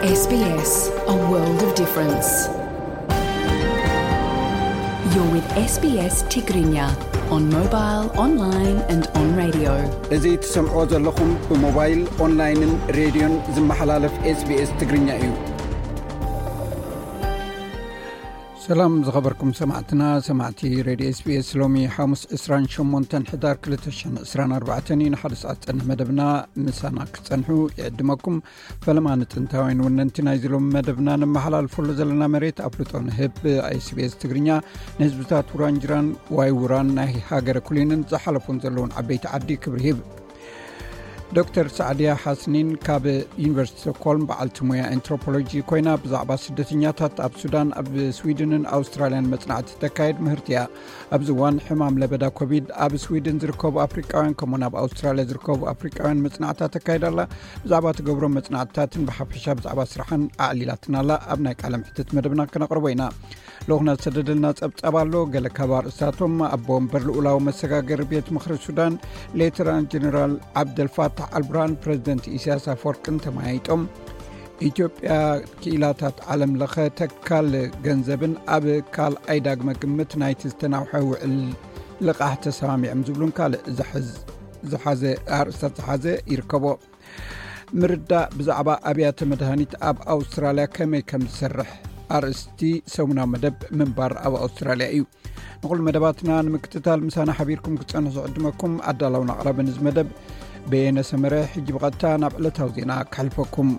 S B S, a world of difference. You're with S B S Tigrinya on mobile, online and on radio. እዚ ትሰምዕዎ ዘለኹም ብሞባይል፣ ኦንላይንን ሬድዮን ዝመሓላለፍ S B S ትግርኛ እዩ። ሰላም ዝኸበርኩም ሰማዕትና፣ ሰማዕቲ ሬድዮ S B S፣ ሎሚ ሓሙስ ዕስራን ሸሞንተን ሕዳር ክልተ ሽሕን ዕስራን ኣርባዕተን እዩ። ንሓደ ሰዓት ዝጸንሕ መደብና ምሳና ክትጸንሑ ይዕድመኩም። ፈለማ ንጥንታውያን ወነንቲ ናይዚ ሎሚ መደብና ነመሓላልፈሉ ዘለና መሬት ኣፍልጦ ንህብ። S B S ትግርኛ ንህዝብታት ውራንጅራን ዋይ ውራን ናይ ሃገረ ኩሊንን ዝሓለፉን ዘለውን ዓበይቲ ዓዲ ክብሪ ሂብ። ዶክተር ሳዕድያ ሓስኒን ካብ ዩኒቨርሲቲ ስቶክሆልም በዓልቲ ሞያ ኣንትሮፖሎጂ ኮይና ብዛዕባ ስደተኛታት ኣብ ሱዳን፣ ኣብ ስዊድንን ኣውስትራልያን መጽናዕቲ ተካየድ ምህርቲ እያ። ኣብዚ እዋን ሕማም ለበዳ ኮቪድ ኣብ ስዊድን ዝርከቡ ኣፍሪቃውያን ከምኡውን ኣብ ኣውስትራልያ ዝርከቡ ኣፍሪቃውያን መጽናዕታ ተካይድ ኣላ። ብዛዕባ ትገብሮ መጽናዕትታትን ብሓፈሻ ብዛዕባ ስራሕን ኣዕሊላትና ኣላ። ኣብ ናይ ቃለ ምሕትት መደብና ክነቕርቦ ኢና። ልኡኽና ዝሰደደልና ጸብጻብ ኣሎ። ገለ ካብ ኣርእስታቶም፣ ኣቦ ወንበር ልኡላዊ መሰጋገሪ ቤት ምኽሪ ሱዳን ሌተናንት ጀነራል ዓብደልፋታሕ ኣልቡርሃን ፕረዚደንት ኢሳያስ ኣፈወርቅን ተመያይጦም። ኢትዮጵያ ክኢላታት ዓለም ለኸ ተካል ገንዘብን ኣብ ካልኣይ ዳግመ ግምት ናይቲ ዝተናውሐ ውዕል ልቓሕ ተሰማሚዖም ዝብሉን ካልእ ዝሓዝ-፣ ዝሓዘ ኣርእስታት ዝሓዘ ይርከቦ። ምርዳእ ብዛዕባ ኣብያተ መድሃኒት ኣብ ኣውስትራልያ ከመይ ከም ዝሰርሕ ኣርእስቲ ሰሙናዊ መደብ ምንባር ኣብ ኣውስትራልያ እዩ። ንኹሉ መደባትና ንምክትታል ምሳና ሓቢርኩም ክትጸንሑ ዝዕድመኩም ኣዳላውን ኣቕራብን እዚ መደብ በየነ ሰመረ። ሕጂ ብቐጥታ ናብ ዕለታዊ ዜና ከሕልፈኩም።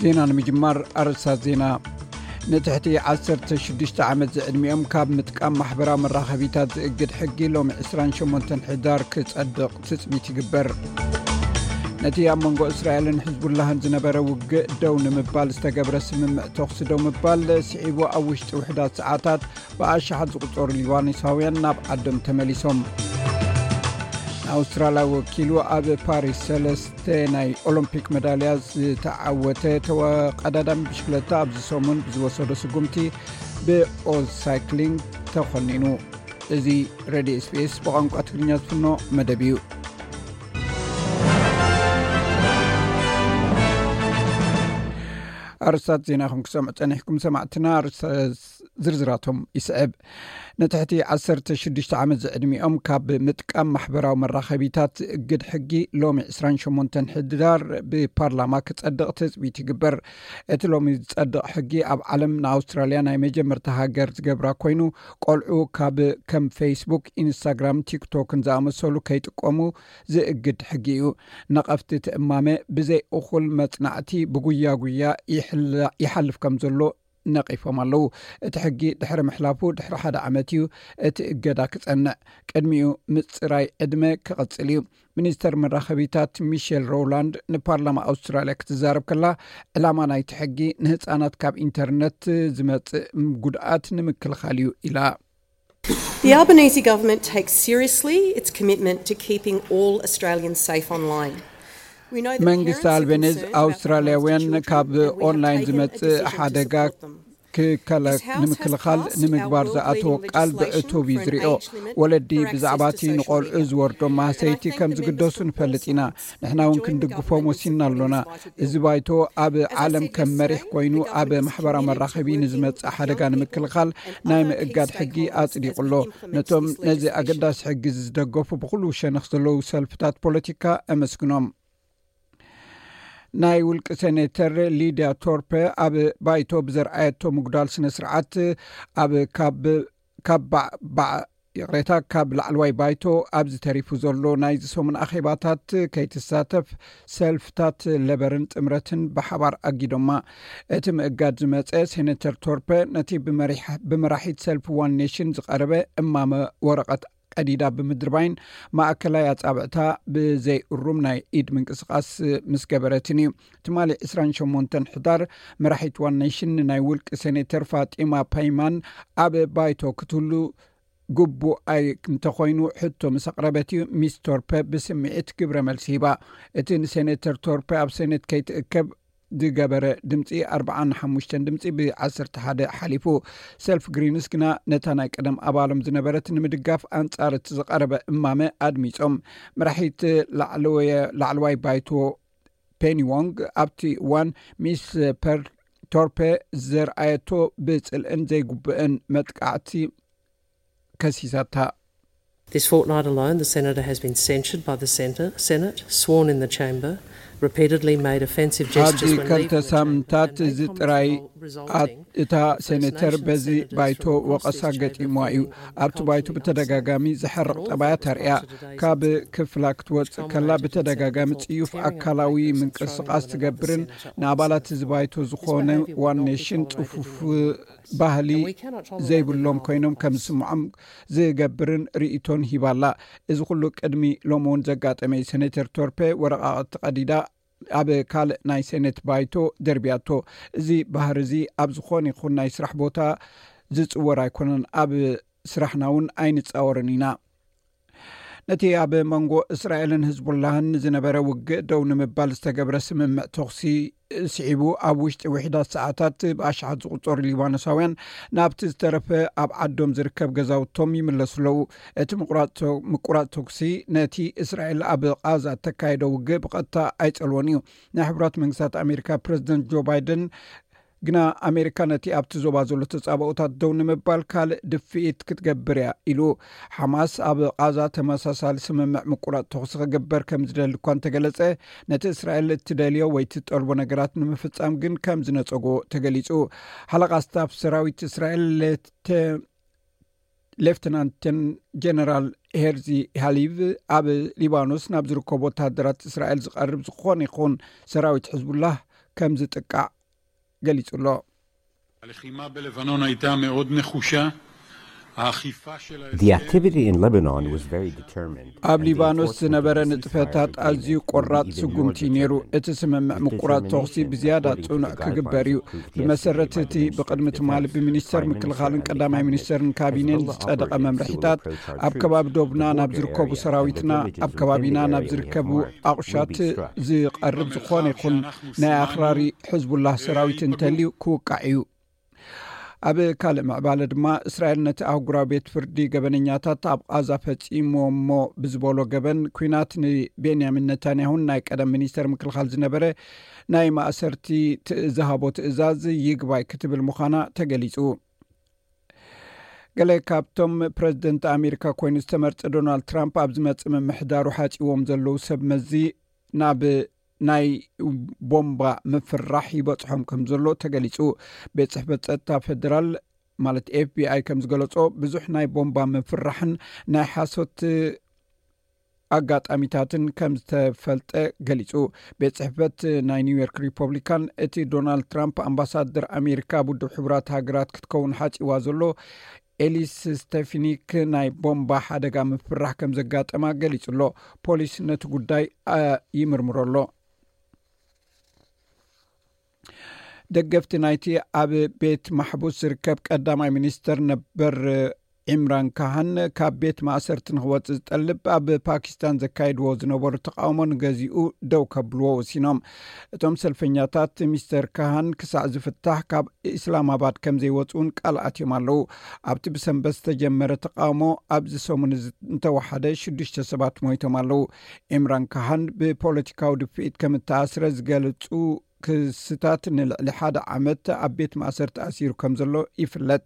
ዜና ንምጅማር ኣርእስታት ዜና። ንትሕቲ ዓሰርተ ሽዱሽተ ዓመት ዝዕድሚኦም ካብ ምጥቃም ማሕበራዊ መራኸቢታት ዝእግድ ሕጊ ሎሚ ዕስራን ሸሞንተን ሕዳር ክጸድቕ ትጽቢት ይግበር። ነቲ ኣብ መንጎ እስራኤልን ሕዝቡላህን ዝነበረ ውግእ ደው ንምባል ዝተገብረ ስምምዕ ተኹሲ ደው ምባል ስዒቡ፣ ኣብ ውሽጢ ውሕዳት ሰዓታት ብኣሽሓት ዝቑጸሩ ሊባኖሳውያን ናብ ዓዶም ተመሊሶም። ንኣውስትራልያ ወኪሉ ኣብ ፓሪስ ሰለስተ ናይ ኦሎምፒክ መዳልያ ዝተዓወተ ተወቀዳዳሚ ብሽክለታ ኣብዚ ሰሙን ብዝወሰዶ ስጉምቲ ብኦዝ ሳይክሊንግ ተኾኒኑ። እዚ ሬድዮ S B S ብቋንቋ ትግርኛ ዝፍኖ መደብ እዩ። ኣርስታት ዜና ኢኹም ክሰምዑ ጸኒሕኩም ሰማዕትና። ኣርስታት ዝርዝራቶም ይስዕብ። ንትሕቲ ዓሰርተ ሽዱሽተ ዓመት ዝዕድሚኦም ካብ ምጥቃም ማሕበራዊ መራኸቢታት ዝእግድ ሕጊ ሎሚ ዕስራን ሸሞንተን ሕዳር ብፓርላማ ክጸድቕ ትጽቢት ይግበር። እቲ ሎሚ ዝጸድቕ ሕጊ ኣብ ዓለም ንኣውስትራልያ ናይ መጀመርታ ሃገር ዝገብራ ኮይኑ፣ ቆልዑ ካብ ከም ፌስቡክ፣ ኢንስታግራም፣ ቲክቶክን ዝኣመሰሉ ከይጥቀሙ ዝእግድ ሕጊ እዩ። ነቐፍቲ እቲ እማመ ብዘይ እኹል መጽናዕቲ ብጉያ ጉያ ይሕላ-፣ ይሓልፍ ከም ዘሎ ነቒፎም ኣለዉ። እቲ ሕጊ ድሕሪ ምሕላፉ ድሕሪ ሓደ ዓመት እዩ እቲ እገዳ ክጸንዕ። ቅድሚኡ ምጽራይ ዕድመ ክቕጽል እዩ። ሚኒስተር መራኸቢታት ሚሼል ሮውላንድ ንፓርላማ ኣውስትራልያ ክትዛረብ ከላ፣ ዕላማ ናይቲ ሕጊ ንህጻናት ካብ ኢንተርነት ዝመጽእ ጉድኣት ንምክልኻል እዩ ኢላ። The Albanese government takes seriously its commitment to keeping all Australians safe online. We know that መንግስቲ parents are ኣልቤኒዝ concerned about the አውስትራሊያውያን potential ካብ that we have ኦንላይን taken a ዝመጽእ decision to ሓደጋ support them. ክከለ-፣ This House has ንምክልኻል passed ንምግባር our ዝኣተወ world-leading ቃል legislation ብዕቱብ እዩ for an ዝሪኦ። age limit ወለዲ for ብዛዕባ access እቲ to social ንቆልዑ media. ዝወርዶ And I ማህሰይቲ thank ከም the ዝግደሱ Minister for ንፈልጥ ኢና። Foresight. ንሕና እውን Joining the ክንድግፎም Government ወሲና in ኣሎና። putting this እዚ ባይቶ ኣብ As I ዓለም said ከም መሪሕ yesterday, ኮይኑ the ኣብ government is ማሕበራዊ committed to መራኸቢ working ንዝመጽእ with ሓደጋ young people ንምክልኻል ናይ ምእጋድ ሕጊ ኣጽዲቑ ኣሎ። ነቶም ነዚ ኣገዳሲ ሕጊ ዝደገፉ ብኹሉ ሸነኽ ዘለዉ ሰልፍታት ፖለቲካ ኣመስግኖም። ናይ ውልቂ ሴኔተር ሊድያ ቶርፐ ኣብ ባይቶ ብዘርኣየቶ ምጉዳል ስነ ስርዓት ኣብ ካብ፣ ካብ ባዕ-፣ ባዕ-፣ ይቕሬታ፣ ካብ ላዕለዋይ ባይቶ ኣብዚ ተሪፉ ዘሎ ናይዚ ሰሙን ኣኼባታት ከይትሳተፍ ሰልፍታት ለበርን ጥምረትን ብሓባር ኣጊዶማ። እቲ ምእጋድ ዝመጸ ሴኔተር ቶርፐ ነቲ ብመሪሕ-፣ ብመራሒት ሰልፊ ዋን ኔሽን ዝቐረበ እማመ ወረቐት ቀዲዳ ብምድርባይን ማእከላይ ኣጻብዕታ ብዘይ እሩም ናይ ኢድ ምንቅስቓስ ምስ ገበረትን እዩ። ትማሊ ዕስራን ሸሞንተን ሕዳር መራሒት ዋን ኔሽን ናይ ውልቂ ሴኔተር ፋጢማ ፓይማን ኣብ ባይቶ ክትህሉ ግቡእ ኣይ እንተኾይኑ ሕቶ ምስ ኣቕረበት እዩ ሚስ ቶርፐ ብስምዒት ግብረ መልሲ ሂባ። እቲ ንሴኔተር ቶርፐ ኣብ ሴኔት ከይትእከብ ዝገበረ ድምፂ ኣርብዓን ሓሙሽተን ድምፂ ብ ዓሰርተ ሓደ ሓሊፉ። ሰልፍ ግሪንስ ግና ነታ ናይ ቀደም ኣባሎም ዝነበረት ንምድጋፍ ኣንፃር እቲ ዝቐረበ እማመ ኣድሚፆም። መራሒት ላዕለወየ-፣ ላዕለዋይ ባይቶ ፔኒ ዎንግ ኣብቲ እዋን ሚስ ፐር ቶርፔ ዘርኣየቶ ብፅልእን ዘይግቡእን መጥቃዕቲ ከሲሳታ። This fortnight alone, the senator has been censured by the centre, Senate, sworn in the chamber, repeatedly made offensive gestures ኣብዚ when ከልተ leaving the ሳምንታት chamber, and made ዝጥራይ comments involving resulting እታ ሴኔተር በዚ ባይቶ ወቐሳ ገጢሞ እዩ። ኣብቲ ባይቶ ብተደጋጋሚ ዘሕርቕ ጠባያት ኣርእያ። ካብ ክፍላ ክትወፅእ ከላ ብተደጋጋሚ ጽዩፍ ኣካላዊ ምንቅስቓስ ትገብርን ንኣባላት እዚ ባይቶ ዝኾነ ዋን ኔሽን ጽፉፍ ባህሊ ዘይብሎም ኮይኖም ከም ዝስምዖም ዝገብርን ርእይቶን ሂባላ። እዚ ኩሉ ቅድሚ ሎሚ እውን ዘጋጠመ እዩ። ሴኔተር ቶርፔ ወረቓቕቲ ቀዲዳ ኣብ ካልእ ናይ ሴኔት ባይቶ ደርብያቶ። እዚ ባህሪ እዚ ኣብ ዝኾነ ይኹን ናይ ስራሕ ቦታ ዝጽወር ኣይኮነን። ኣብ ስራሕና እውን ኣይንጻወርን ኢና። ነቲ ኣብ መንጎ እስራኤልን ህዝቡላህን ዝነበረ ውግእ ደው ንምባል ዝተገብረ ስምምዕ ተኹሲ ስዒቡ፣ ኣብ ውሽጢ ውሕዳት ሰዓታት ብኣሽሓት ዝቑጸሩ ሊባኖሳውያን ናብቲ ዝተረፈ ኣብ ዓዶም ዝርከብ ገዛውቶም ይምለሱ ኣለዉ። እቲ ምቁራጽ ተ-፣ ምቁራጽ ተኩሲ ነቲ እስራኤል ኣብ ቓዛ እተካየዶ ውግእ ብቐጥታ ኣይጸልዎን እዩ። ናይ ሕቡራት መንግስታት ኣሜሪካ ፕረዚደንት ጆ ባይደን ግና ኣሜሪካ ነቲ ኣብቲ ዞባ ዘሎ ተጻብኦታት ደው ንምባል ካልእ ድፍኢት ክትገብር እያ ኢሉ። ሓማስ ኣብ ቓዛ ተመሳሳሊ ስምምዕ ምቁራጽ ተኹሲ ክግበር ከም ዝደሊ እኳ እንተገለጸ፣ ነቲ እስራኤል እትደልዮ ወይ ትጠልቦ ነገራት ንምፍጻም ግን ከም ዝነጸጎ ተገሊጹ። ሓለቓ ስታፍ ሰራዊት እስራኤል ሌተ-፣ ሌፍተናንት ጀነራል ሄርዚ ሃሊቭ ኣብ ሊባኖስ ናብ ዝርከቡ ወተሃደራት እስራኤል ዝቐርብ ዝኾነ ይኹን ሰራዊት ሕዝቡላህ ከም ዝጥቃዕ ገሊጹ ኣሎ። הלחימה בלבנון הייתה מאוד נחושה. האכיפה של The activity in Lebanon was very determined. ኣብ ሊባኖስ ዝነበረ ንጥፈታት ኣዝዩ ቆራጽ ስጉምቲ ነይሩ። እቲ ስምምዕ ምቁራጽ ተኹሲ ብዝያዳ ጽኑዕ ክግበር እዩ። ብመሰረት እቲ ብቕድሚ ትማሊ ብሚኒስተር ምክልኻልን ቀዳማይ ሚኒስተርን ካቢኔን ዝጸደቐ መምርሒታት፣ ኣብ ከባቢ ዶብና ናብ ዝርከቡ ሰራዊትና፣ ኣብ ከባቢና ናብ ዝርከቡ ኣቑሻት ዝቐርብ ዝኾነ ይኹን ናይ ኣኽራሪ ሕዝቡላህ ሰራዊት እንተልዩ ክውቃዕ እዩ። ኣብ ካልእ ምዕባለ ድማ፣ እስራኤል ነቲ ኣህጉራዊ ቤት ፍርዲ ገበነኛታት ኣብ ቓዛ ፈጺሞሞ ብዝበሎ ገበን ኲናት ንቤንያሚን ነታንያሁን ናይ ቀደም ሚኒስተር ምክልኻል ዝነበረ ናይ ማእሰርቲ ትእ-፣ ዝሃቦ ትእዛዝ ይግባይ ክትብል ምዃና ተገሊጹ። ገለ ካብቶም ፕረዚደንት ኣሜሪካ ኮይኑ ዝተመርጸ ዶናልድ ትራምፕ ኣብ ዝመጽእ ምምሕዳሩ ሓጺዎም ዘለዉ ሰብ መዚ ናብ ናይ ቦምባ ምፍራሕ ይበጽሖም ከም ዘሎ ተገሊጹ። ቤት ጽሕፈት ጸጥታ ፌደራል ማለት ኤፍቢኣይ ከም ዝገለጾ፣ ብዙሕ ናይ ቦምባ ምፍራሕን ናይ ሓሶት ኣጋጣሚታትን ከም ዝተፈልጠ ገሊጹ። ቤት ጽሕፈት ናይ ኒውዮርክ ሪፐብሊካን እቲ ዶናልድ ትራምፕ ኣምባሳደር ኣሜሪካ ኣብ ውድብ ሕቡራት ሃገራት ክትከውን ሓጺዋ ዘሎ ኤሊስ ስቴፊኒክ ናይ ቦምባ ሓደጋ ምፍራሕ ከም ዘጋጠማ ገሊጹ ኣሎ። ፖሊስ ነቲ ጉዳይ፣ አ፣ ይምርምሮ ኣሎ። ደገፍቲ ናይቲ ኣብ ቤት ማሕቡስ ዝርከብ ቀዳማይ ሚኒስተር ነበር ዒምራን ካሃን ካብ ቤት ማእሰርቲ ንኽወጽእ ዝጠልብ ኣብ ፓኪስታን ዘካየድዎ ዝነበሩ ተቃውሞ ንገዚኡ ደው ከብልዎ ወሲኖም። እቶም ሰልፈኛታት ሚስተር ካሃን ክሳዕ ዝፍታሕ ካብ ኢስላማባድ ከም ዘይወጽኡን ቃል ኣትዮም ኣለዉ። ኣብቲ ብሰንበት ዝተጀመረ ተቃውሞ ኣብዚ ሰሙን እዚ እንተወሓደ ሽዱሽተ ሰባት ሞይቶም ኣለዉ። ዒምራን ካሃን ብፖለቲካዊ ድፍኢት ከም እተኣስረ ዝገልጹ ክስታት ንልዕሊ ሓደ ዓመት ኣብ ቤት ማእሰርቲ ኣሲሩ ከም ዘሎ ይፍለጥ።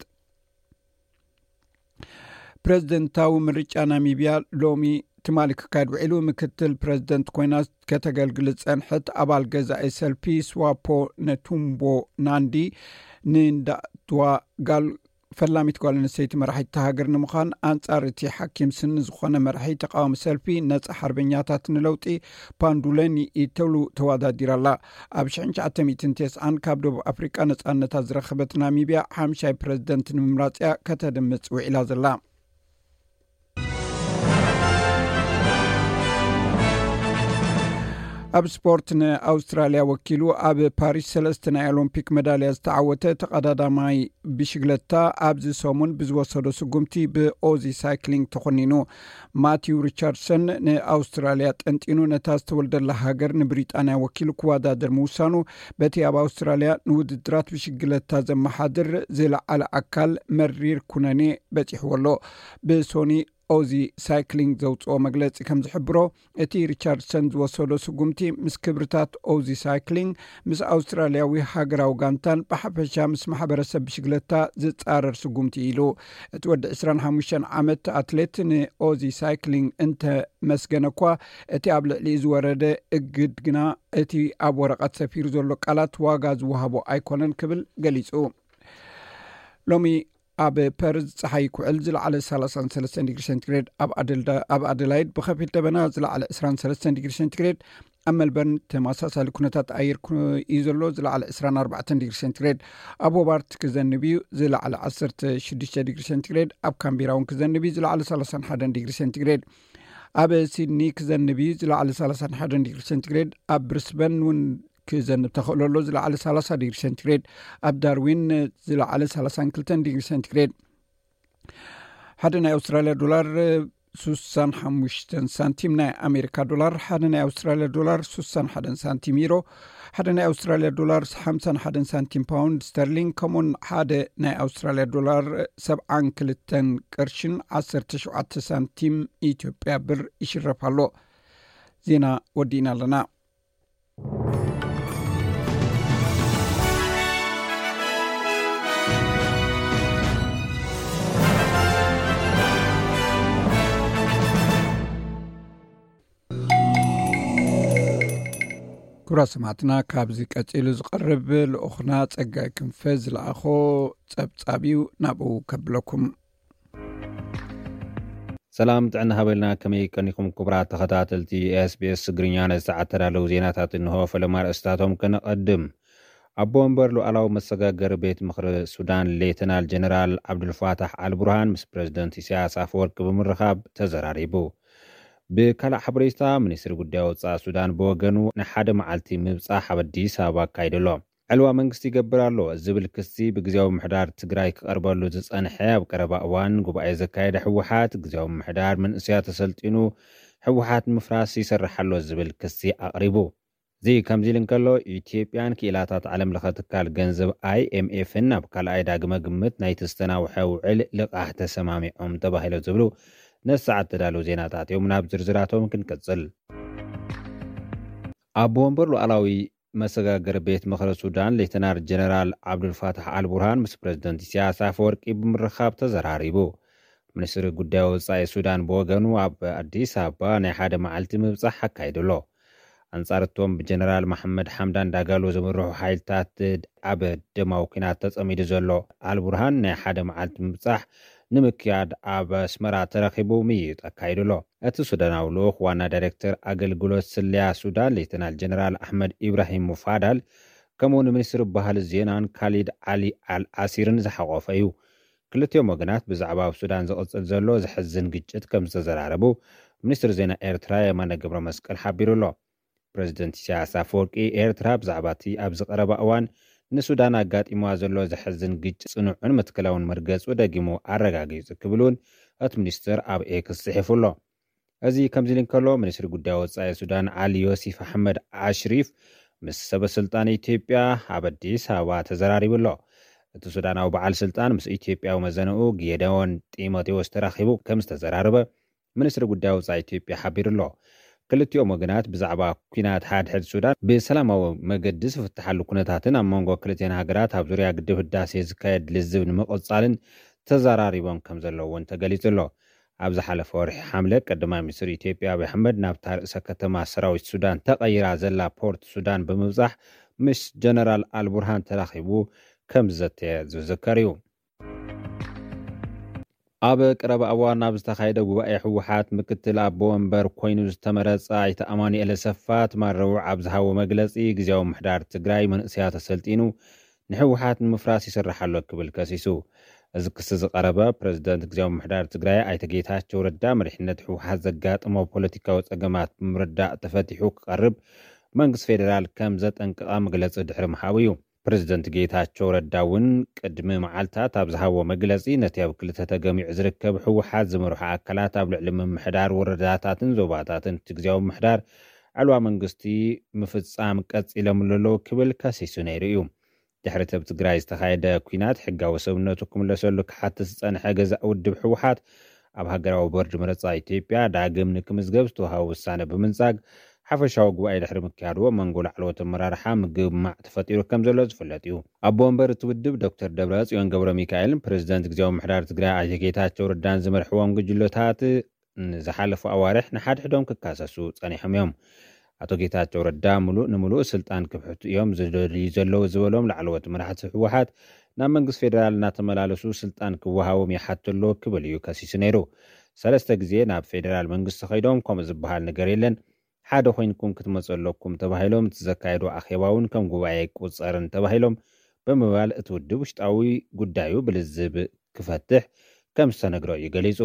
ፕረዚደንታዊ ምርጫ ናሚብያ ሎሚ ትማሊ ክካየድ ውዒሉ። ምክትል ፕረዚደንት ኮይና ከተገልግል ዝጸንሐት ኣባል ገዛኢ ሰልፊ ስዋፖ ነቱምቦ ናንዲ ንንዳትዋ ጋል ፈላሚት ጓል ኣንስተይቲ መራሒት እታ ሃገር ንምዃን ኣንጻር እቲ ሓኪም ስኒ ዝኾነ መራሒ ተቃዋሚ ሰልፊ ነጻ ሓርበኛታት ንለውጢ ፓንዱለኒ ኢተሉ ተወዳዲራ ኣላ። ኣብ ሽሕን ትሽዓተ ሚእትን ተስዓን ካብ ደቡብ ኣፍሪቃ ነጻነታ ዝረኸበት ናሚብያ ሓምሻይ ፕረዚደንት ንምምራጽ እያ ከተድምጽ ውዒላ ዘላ። ኣብ ስፖርት፣ ንኣውስትራልያ ወኪሉ ኣብ ፓሪስ ሰለስተ ናይ ኦሎምፒክ መዳልያ ዝተዓወተ ተቐዳዳማይ ብሽግለታ ኣብዚ ሰሙን ብዝወሰዶ ስጉምቲ ብኦዚ ሳይክሊንግ ተኾኒኑ። ማቲው ሪቻርድሰን ንኣውስትራልያ ጠንጢኑ ነታ ዝተወልደላ ሃገር ንብሪጣንያ ወኪሉ ክወዳደር ምውሳኑ፣ በቲ ኣብ ኣውስትራልያ ንውድድራት ብሽግለታ ዘመሓድር ዝለዓለ ኣካል መሪር ኩነኔ በጺሕዎ ኣሎ። ብሶኒ ኦዚ ሳይክሊንግ ዘውፅኦ መግለፂ ከም ዝሕብሮ፣ እቲ ሪቻርድሰን ዝወሰዶ ስጉምቲ ምስ ክብርታት ኦዚ ሳይክሊንግ፣ ምስ ኣውስትራልያዊ ሃገራዊ ጋንታን ብሓፈሻ ምስ ማሕበረሰብ ብሽግለታ ዝፃረር ስጉምቲ ኢሉ። እቲ ወዲ ዕስራን ሓሙሽተን ዓመት ኣትሌት ንኦዚ ሳይክሊንግ እንተመስገነ እኳ፣ እቲ ኣብ ልዕሊኡ ዝወረደ እግድ ግና እቲ ኣብ ወረቐት ሰፊሩ ዘሎ ቃላት ዋጋ ዝወሃቦ ኣይኮነን ክብል ገሊፁ። ሎሚ ኣብ ፐርዝ ጸሓይ ክውዕል ዝለዓለ ሰላሳን ሰለስተን ዲግሪ ሴንቲግሬድ፣ ኣብ ኣደልዳ-፣ ኣብ ኣደላይድ ብኸፊል ደበና ዝለዓለ ዕስራን ሰለስተን ዲግሪ ሴንቲግሬድ፣ ኣብ መልበርን ተመሳሳሊ ኩነታት ኣየር ኩ-፣ እዩ ዘሎ፣ ዝለዓለ ዕስራን ኣርባዕተን ዲግሪ ሴንቲግሬድ፣ ኣብ ሆባርት ክዘንብ እዩ፣ ዝለዓለ ዓሰርተ ሽዱሽተ ዲግሪ ሴንቲግሬድ፣ ኣብ ካምቢራ እውን ክዘንብ እዩ፣ ዝለዓለ ሰላሳን ሓደን ዲግሪ ሴንቲግሬድ፣ ኣብ ሲድኒ ክዘንብ እዩ፣ ዝለዓለ ሰላሳን ሓደን ዲግሪ ሴንቲግሬድ፣ ኣብ ብሪስበን እውን ክዘንብ ተኽእሎ ኣሎ፣ ዝለዓለ ሰላሳ ዲግሪ ሴንቲግሬድ፣ ኣብ ዳርዊን ዝለዓለ ሰላሳን ክልተን ዲግሪ ሴንቲግሬድ። ሓደ ናይ ኣውስትራልያ ዶላር ሱሳን ሓሙሽተን ሳንቲም፣ ናይ ኣሜሪካ ዶላር ሓደ ናይ ኣውስትራልያ ዶላር ሱሳን ሓደን ሳንቲም፣ ዩሮ ሓደ ናይ ኣውስትራልያ ዶላር ሓምሳን ሓደን ሳንቲም፣ ፓውንድ ስተርሊንግ ከምኡን ሓደ ናይ ኣውስትራልያ ዶላር ሰብዓን ክልተን ቅርሽን ዓሰርተ ሸውዓተ ሳንቲም ኢትዮጵያ ብር ይሽረፍ ኣሎ። ዜና ወዲእና ኣለና። ክቡራት ሰማዕትና፣ ካብዚ ቀጺሉ ዝቐርብ ልኡኽና ጸጋይ ክንፈ ዝለኣኾ ጸብጻብ እዩ፣ ናብኡ ከብለኩም። ሰላም ጥዕና ሃበልና፣ ከመይ ቀኒኹም ክቡራት ተኸታተልቲ ኤስቢኤስ ትግርኛ? ነዚ ሰዓት ተዳለዉ ዜናታት እንሆ። ፈለማ ኣርእስታቶም ከነቐድም። ኣቦ ወንበር ሉዓላዊ መሰጋገሪ ቤት ምኽሪ ሱዳን ሌተናል ጀነራል ዓብዱልፋታሕ ኣልቡርሃን ምስ ፕረዚደንት ኢሳያስ ኣፈወርቂ ብምርኻብ ተዘራሪቡ። ብካልእ ሓበሬታ፣ ሚኒስትሪ ጉዳይ ወጻኢ ሱዳን ብወገኑ ንሓደ መዓልቲ ምብጻሕ ኣብ ኣዲስ ኣበባ ኣካይዱ ኣሎ። ዕልዋ መንግስቲ ይገብር ኣሎ ዝብል ክሲ ብግዜያዊ ምሕዳር ትግራይ ክቐርበሉ ዝጸንሐ፣ ኣብ ቀረባ እዋን ጉባኤ ዘካየደ ህወሓት፣ ግዜያዊ ምሕዳር መንእሰያት ተሰልጢኑ ህወሓት ንምፍራስ ይሰርሕ ኣሎ ዝብል ክሲ ኣቕሪቡ። እዚ ከምዚ ኢሉ እንከሎ፣ ኢትዮጵያን ክኢላታት ዓለም ለኸ ትካል ገንዘብ ኣይኤምኤፍን ናብ ካልኣይ ዳግመ ግምት ናይቲ ዝተናውሐ ውዕል ልቓሕ ተሰማሚዖም ተባሂሎ ዝብሉ ነዚ ሰዓት ተዳለዉ ዜናታት እዮም። ናብ ዝርዝራቶም ክንቅጽል። ኣቦ ወንበር ሉዓላዊ መሰጋገሪ ቤት ምኽሪ ሱዳን ሌተናል ጀነራል ዓብዱልፋታሕ ኣልቡርሃን ምስ ፕረዚደንት ኢሳያስ ኣፈወርቂ ብምርኻብ ተዘራሪቡ። ሚኒስትሪ ጉዳይ ወጻኢ ሱዳን ብወገኑ ኣብ ኣዲስ ኣበባ ናይ ሓደ መዓልቲ ምብጻሕ ኣካይዱ ኣሎ። ኣንጻር እቶም ብጀነራል መሓመድ ሓምዳን ዳጋሎ ዝምርሑ ሓይልታት ኣብ ደማዊ ኲናት ተጸሚዱ ዘሎ ኣልቡርሃን ናይ ሓደ መዓልቲ ምብጻሕ ንምክያድ ኣብ ኣስመራ ተረኺቡ ምይይጥ ኣካይዱ ኣሎ። እቲ ሱዳናዊ ልኡኽ ዋና ዳይሬክተር ኣገልግሎት ስለያ ሱዳን ሌተናል ጀነራል ኣሕመድ ኢብራሂም ሙፋዳል ከምኡ ንሚኒስትሪ ባህሊ ዜናን ካሊድ ዓሊ ኣል ኣሲርን ዝሓቖፈ እዩ። ክልቲኦም ወገናት ብዛዕባ ኣብ ሱዳን ዝቕጽል ዘሎ ዘሕዝን ግጭት ከም ዝተዘራረቡ ሚኒስትሪ ዜና ኤርትራ የማነ ገብረ መስቀል ሓቢሩ ኣሎ። ፕረዚደንት ኢሳያስ ኣፈወርቂ፣ ኤርትራ ብዛዕባ እቲ ኣብዚ ቀረባ እዋን ንሱዳን ኣጋጢምዋ ዘሎ ዘሕዝን ግጭት ጽኑዕን መትከላውን መርገጹ ደጊሙ ኣረጋጊጹ ክብል እውን እቲ ሚኒስትር ኣብ ኤክስ ጽሒፉ ኣሎ። እዚ ከምዚ ኢሉ እንከሎ፣ ሚኒስትሪ ጉዳይ ወጻኢ ሱዳን ዓሊ ዮሲፍ ኣሕመድ ኣሽሪፍ ምስ ሰበ ስልጣን ኢትዮጵያ ኣብ ኣዲስ ኣበባ ተዘራሪቡ ኣሎ። እቲ ሱዳናዊ በዓል ስልጣን ምስ ኢትዮጵያዊ መዘንኡ ጌደዎን ጢሞቴዎስ ተራኺቡ ከም ዝተዘራረበ ሚኒስትሪ ጉዳይ ወጻኢ ኢትዮጵያ ሓቢሩ ኣሎ። ክልቲኦም ወገናት ብዛዕባ ኲናት ሓድሕድ ሱዳን ብሰላማዊ መገዲ ዝፍትሓሉ ኩነታትን ኣብ መንጎ ክልቲአን ሃገራት ኣብ ዙርያ ግድብ ህዳሴ ዝካየድ ልዝብ ንምቕጻልን ተዘራሪቦም ከም ዘለዉ እውን ተገሊጹ ኣሎ። ኣብ ዝሓለፈ ወርሒ ሓምለ፣ ቀዳማይ ሚኒስትር ኢትዮጵያ ኣብይ ኣሕመድ ናብታ ርእሰ ከተማ ሰራዊት ሱዳን ተቐይራ ዘላ ፖርት ሱዳን ብምብጻሕ ምስ ጀነራል ኣልቡርሃን ተራኺቡ ከም ዝዘተየ ዝዝከር እዩ። ኣብ ቀረባ እዋን ኣብ ዝተኻየደ ጉባኤ ህወሓት፣ ምክትል ኣቦ ወንበር ኮይኑ ዝተመረጸ ኣይተ ኣማኑኤል ኣሰፋ ትማል ረቡዕ ኣብ ዝሃቦ መግለጺ፣ ግዜያዊ ምሕዳር ትግራይ መንእሰያት ኣሰልጢኑ ንህወሓት ንምፍራስ ይሰርሕ ኣሎ ክብል ከሲሱ። እዚ ክሲ ዝቐረበ፣ ፕረዚደንት ግዜያዊ ምሕዳር ትግራይ ኣይተ ጌታቸው ረዳ፣ መሪሕነት ህወሓት ዘጋጠሞ ፖለቲካዊ ጸገማት ብምርዳእ ተፈቲሑ ክቐርብ መንግስቲ ፌዴራል ከም ዘጠንቀቐ መግለፂ ድሕሪ ምሃቡ እዩ። ፕሬዚደንት ጌታቸው ረዳ እውን ቅድሚ መዓልታት ኣብ ዝሃቦ መግለፂ፣ ነቲ ኣብ ክልተ ተገሚዑ ዝርከብ ህወሓት ዝመርሖ ኣካላት ኣብ ልዕሊ ምምሕዳር ወረዳታትን ዞባታትን እቲ ግዝያዊ ምምሕዳር ዕልዋ መንግስቲ ምፍፃም ቀፂሎም ኣለዉ ክብል ከሲሱ ነይሩ እዩ። ድሕሪ እቲ ኣብ ትግራይ ዝተኻየደ ኲናት ሕጋዊ ሰብነቱ ክምለሰሉ ክሓትት ዝጸንሐ ገዛእ ውድብ ህወሓት፣ ኣብ ሃገራዊ ቦርድ መረጻ ኢትዮጵያ ዳግም ንክምዝገብ ዝተዋሃበ ውሳነ ብምንጻግ፣ ሓፈሻዊ ጉባኤ ድሕሪ ምክያድዎ መንጎ ላዕለዎት ኣመራርሓ ምግማዕ ተፈጢሩ ከም ዘሎ ዝፍለጥ እዩ። ኣቦ ወንበር እቲ ውድብ ዶክተር ደብረ ጽዮን ገብረ ሚካኤልን ፕሬዚደንት ግዝያዊ ምምሕዳር ትግራይ ኣይተ ጌታቸው ረዳን ዝመርሕዎም ጉጅለታት ንዝሓለፉ ኣዋርሕ ንሓድሕዶም ክካሰሱ ጸኒሖም እዮም። ኣቶ ጌታቸው ረዳ ምሉእ ንምሉእ ስልጣን ክብሕቱ እዮም ዝደልዩ ዘለዉ ዝበሎም ላዕለዎት መራሕቲ ህወሓት፣ ናብ መንግስቲ ፌዴራል እናተመላለሱ ስልጣን ክወሃቦም ይሓቱ ኣለዉ ክብል እዩ ከሲሱ ነይሩ። ሰለስተ ግዜ ናብ ፌዴራል መንግስቲ ከይዶም ከምኡ ዝበሃል ነገር የለን፣ ሓደ ኮይንኩም ክትመፁ ኣለኩም ተባሂሎም፣ እቲ ዘካየዱ ኣኼባ እውን ከም ጉባኤ ኣይቁፀርን ተባሂሎም ብምባል፣ እቲ ውድብ ውሽጣዊ ጉዳዩ ብልዝብ ክፈትሕ ከም ዝተነግሮ እዩ ገሊፁ።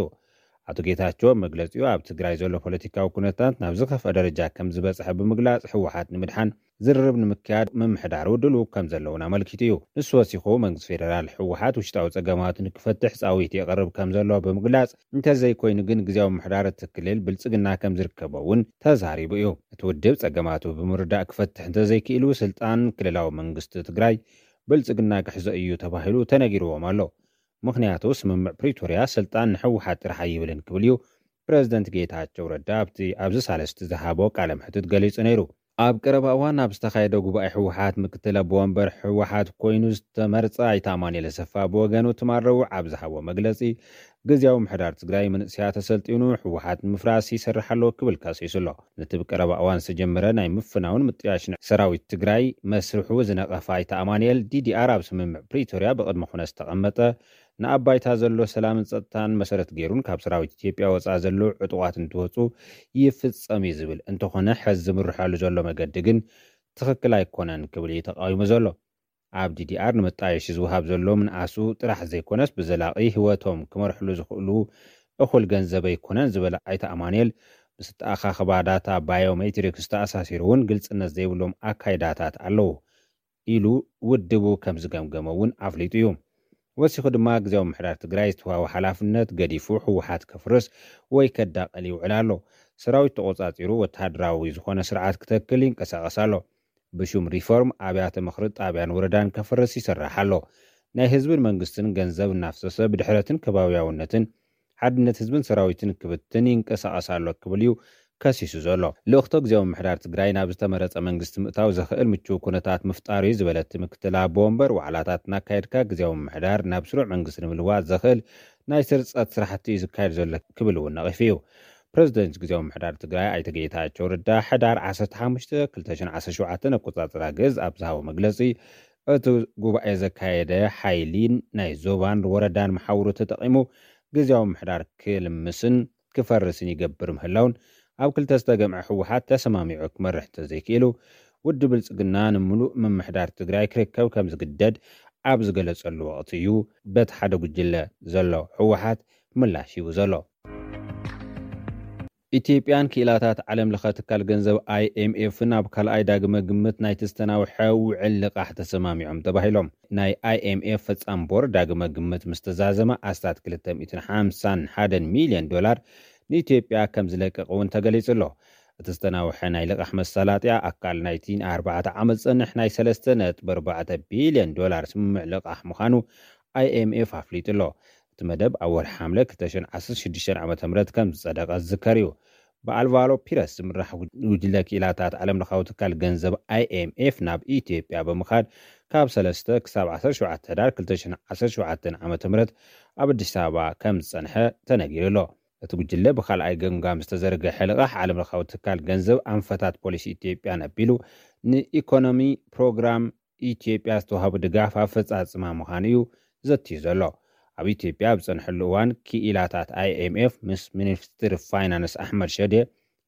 ኣቶ ጌታቸው ኣብ መግለፂኡ፣ ኣብ ትግራይ ዘሎ ፖለቲካዊ ኩነታት ናብ ዝኸፍአ ደረጃ ከም ዝበፅሐ ብምግላፅ፣ ህወሓት ንምድሓን ዝርርብ ንምክያድ ምምሕዳሩ ድሉው ከም ዘለውን ኣመልኪቱ እዩ። ንሱ ወሲኹ፣ መንግስቲ ፌዴራል ህወሓት ውሽጣዊ ፀገማቱ ንክፈትሕ ፃዊት የቕርብ ከም ዘሎ ብምግላፅ፣ እንተዘይኮይኑ ግን ግዝያዊ ምምሕዳር እቲ ክልል ብልፅግና ከም ዝርከቦ እውን ተዛሪቡ እዩ። እቲ ውድብ ፀገማቱ ብምርዳእ ክፈትሕ እንተዘይክኢሉ፣ ስልጣን ክልላዊ መንግስቲ ትግራይ ብልፅግና ክሕዞ እዩ ተባሂሉ ተነጊርዎም ኣሎ። ምኽንያቱ፣ ስምምዕ ፕሪቶርያ ስልጣን ንህወሓት ጥራሕ ኣይብልን ክብል እዩ ፕሬዚደንት ጌታቸው ረዳ ኣብቲ ኣብዚ ሳልስቲ ዝሃቦ ቃለ መሕትት ገሊጹ ነይሩ። ኣብ ቀረባ እዋን ኣብ ዝተኻየደ ጉባኤ ህወሓት፣ ምክትል ኣቦ ወንበር ህወሓት ኮይኑ ዝተመርጸ ኣይተ ኣማኑኤል ኣሰፋ ብወገኑ፣ ትማል ረቡዕ ኣብ ዝሃቦ መግለጺ፣ ግዝያዊ ምምሕዳር ትግራይ መንእሰያት ኣሰልጢኑ ህወሓት ንምፍራስ ይሰርሕ ኣሎ ክብል ከሲሱ ኣሎ። ነቲ ብቀረባ እዋን ዝተጀመረ ናይ ምፍናውን ምጥያሽን ሰራዊት ትግራይ መስርሑ ዝነቐፈ ኣይተ ኣማኑኤል፣ ዲዲኣር ኣብ ስምምዕ ፕሪቶርያ ብቕድመ ኩነት ዝተቐመጠ፣ ንኣብ ባይታ ዘሎ ሰላምን ጸጥታን መሰረት ገይሩን ካብ ሰራዊት ኢትዮጵያ ወጻኢ ዘለዉ ዕጡቓት እንትወጹ ይፍጸም እዩ ዝብል እንተኾነ፣ ሕዚ ዝምርሐሉ ዘሎ መገዲ ግን ትኽክል ኣይኮነን ክብል እዩ ተቃዊሙ ዘሎ። ኣብ ዲዲኣር ንመጣየሺ ዝወሃብ ዘሎ ምንኣሱ ጥራሕ ዘይኮነስ፣ ብዘላቒ ህይወቶም ክመርሕሉ ዝኽእሉ እኹል ገንዘብ ኣይኮነን ዝበለ ኣይተ ኣማኑኤል፣ ምስ ኣተኣኻኽባ ዳታ ባዮሜትሪክስ ተኣሳሲሩ እውን ግልጽነት ዘይብሎም ኣካይዳታት ኣለዉ ኢሉ ውድቡ ከም ዝገምገመ እውን ኣፍሊጡ እዩ። ወሲኹ ድማ፣ ግዝያዊ ምምሕዳር ትግራይ ዝተዋህቦ ሓላፍነት ገዲፉ ህወሓት ከፍርስ ወይ ከዳቕል ይውዕል ኣሎ። ሰራዊት ተቖጻጺሩ ወተሃደራዊ ዝኾነ ስርዓት ክተክል ይንቀሳቐስ ኣሎ። ብሹም ሪፎርም ኣብያተ ምኽሪ ጣብያን ወረዳን ከፍርስ ይሰርሕ ኣሎ። ናይ ህዝብን መንግስትን ገንዘብ እናፍሰሰ ብድሕረትን ከባብያውነትን ሓድነት ህዝብን ሰራዊትን ክብትን ይንቀሳቐስ ኣሎ ክብል እዩ ከሲሱ ዘሎ። ልእኽቶ ግዝያዊ ምምሕዳር ትግራይ ናብ ዝተመረጸ መንግስቲ ምእታው ዘኽእል ምቹው ኩነታት ምፍጣር እዩ ዝበለት ምክትል ኣቦ ወንበር፣ ዋዕላታት እናካየድካ ግዝያዊ ምምሕዳር ናብ ስሩዕ መንግስቲ ንምልዋጥ ዘኽእል ናይ ስርጸት ስራሕቲ እዩ ዝካየድ ዘሎ ክብል እውን ነቒፉ እዩ። ፕሬዚደንት ግዝያዊ ምምሕዳር ትግራይ ኣይተ ጌታቸው ረዳ ሕዳር ዓሰርተ ሓሙሽተ ክልተ ሽሕን ዓሰርተ ሸውዓተን ኣቆጻጽራ ግእዝ ኣብ ዝሃቦ መግለጺ፣ እቲ ጉባኤ ዘካየደ ሓይሊን ናይ ዞባን ወረዳን መሓውሩ ተጠቒሙ ግዝያዊ ምምሕዳር ክልምስን ክፈርስን ይገብር ምህላውን፣ ኣብ ክልተ ዝተገምዐ ህወሓት ተሰማሚዑ ክመርሕ እንተዘይክኢሉ፣ ውድብ ብልጽግና ንምሉእ ምምሕዳር ትግራይ ክርከብ ከም ዝግደድ ኣብ ዝገለጸሉ ወቕቲ እዩ በቲ ሓደ ጉጅለ ዘሎ ህወሓት ምላሽ ሂቡ ዘሎ። ኢትዮጵያን ክኢላታት ዓለም ለኸ ትካል ገንዘብ ኣይኤምኤፍን ኣብ ካልኣይ ዳግመ ግምት ናይቲ ዝተናውሐ ውዕል ልቓሕ ተሰማሚዖም ተባሂሎም። ናይ ኣይኤምኤፍ ፈጻሚ ቦርድ ዳግመ ግምት ምስ ተዛዘመ፣ ኣስታት ክልተ ሚእትን ሓምሳን ሓደን ሚልዮን ዶላር ንኢትዮጵያ ከም ዝለቅቕ እውን ተገሊጹ ኣሎ። እቲ ዝተናውሐ ናይ ልቓሕ መሳላጥያ ኣካል ናይቲ ንኣርባዕተ ዓመት ዝጸንሕ ናይ ሰለስተ ነጥቢ ኣርባዕተ ቢልዮን ዶላር ስምምዕ ልቓሕ ምዃኑ ኣይኤምኤፍ ኣፍሊጡ ኣሎ። እቲ መደብ ኣብ ወርሒ ሓምለ ክልተ ሽሕን ዓሰርተ ሽዱሽተን ዓመተ ምህረት ከም ዝጸደቐ ዝዝከር እዩ። ብኣልቫሮ ፒረስ ዝምራሕ ጉጅለ ክኢላታት ዓለም ለኻዊ ትካል ገንዘብ ኣይኤምኤፍ ናብ ኢትዮጵያ ብምኻድ፣ ካብ ሰለስተ ክሳብ ዓሰርተ ሸውዓተ ሕዳር ክልተ ሽሕን ዓሰርተ ሸውዓተን ዓመተ ምህረት ኣብ ኣዲስ ኣበባ ከም ዝጸንሐ ተነጊሩ ኣሎ። እቲ ጉጅለ ብኻልኣይ ገምጋም ዝተዘርግሐ ልቓሕ ዓለም ለኻዊ ትካል ገንዘብ ኣንፈታት ፖሊሲ ኢትዮጵያ ነቢሉ፣ ንኢኮኖሚ ፕሮግራም ኢትዮጵያ ዝተዋህቡ ድጋፍ ኣፈጻጽማ ምዃኑ እዩ ዘትዩ ዘሎ። ኣብ ኢትዮጵያ ኣብ ዝጸንሐሉ እዋን፣ ክኢላታት ኣይኤምኤፍ ምስ ሚኒስትር ፋይናንስ ኣሕመድ ሸዴ፣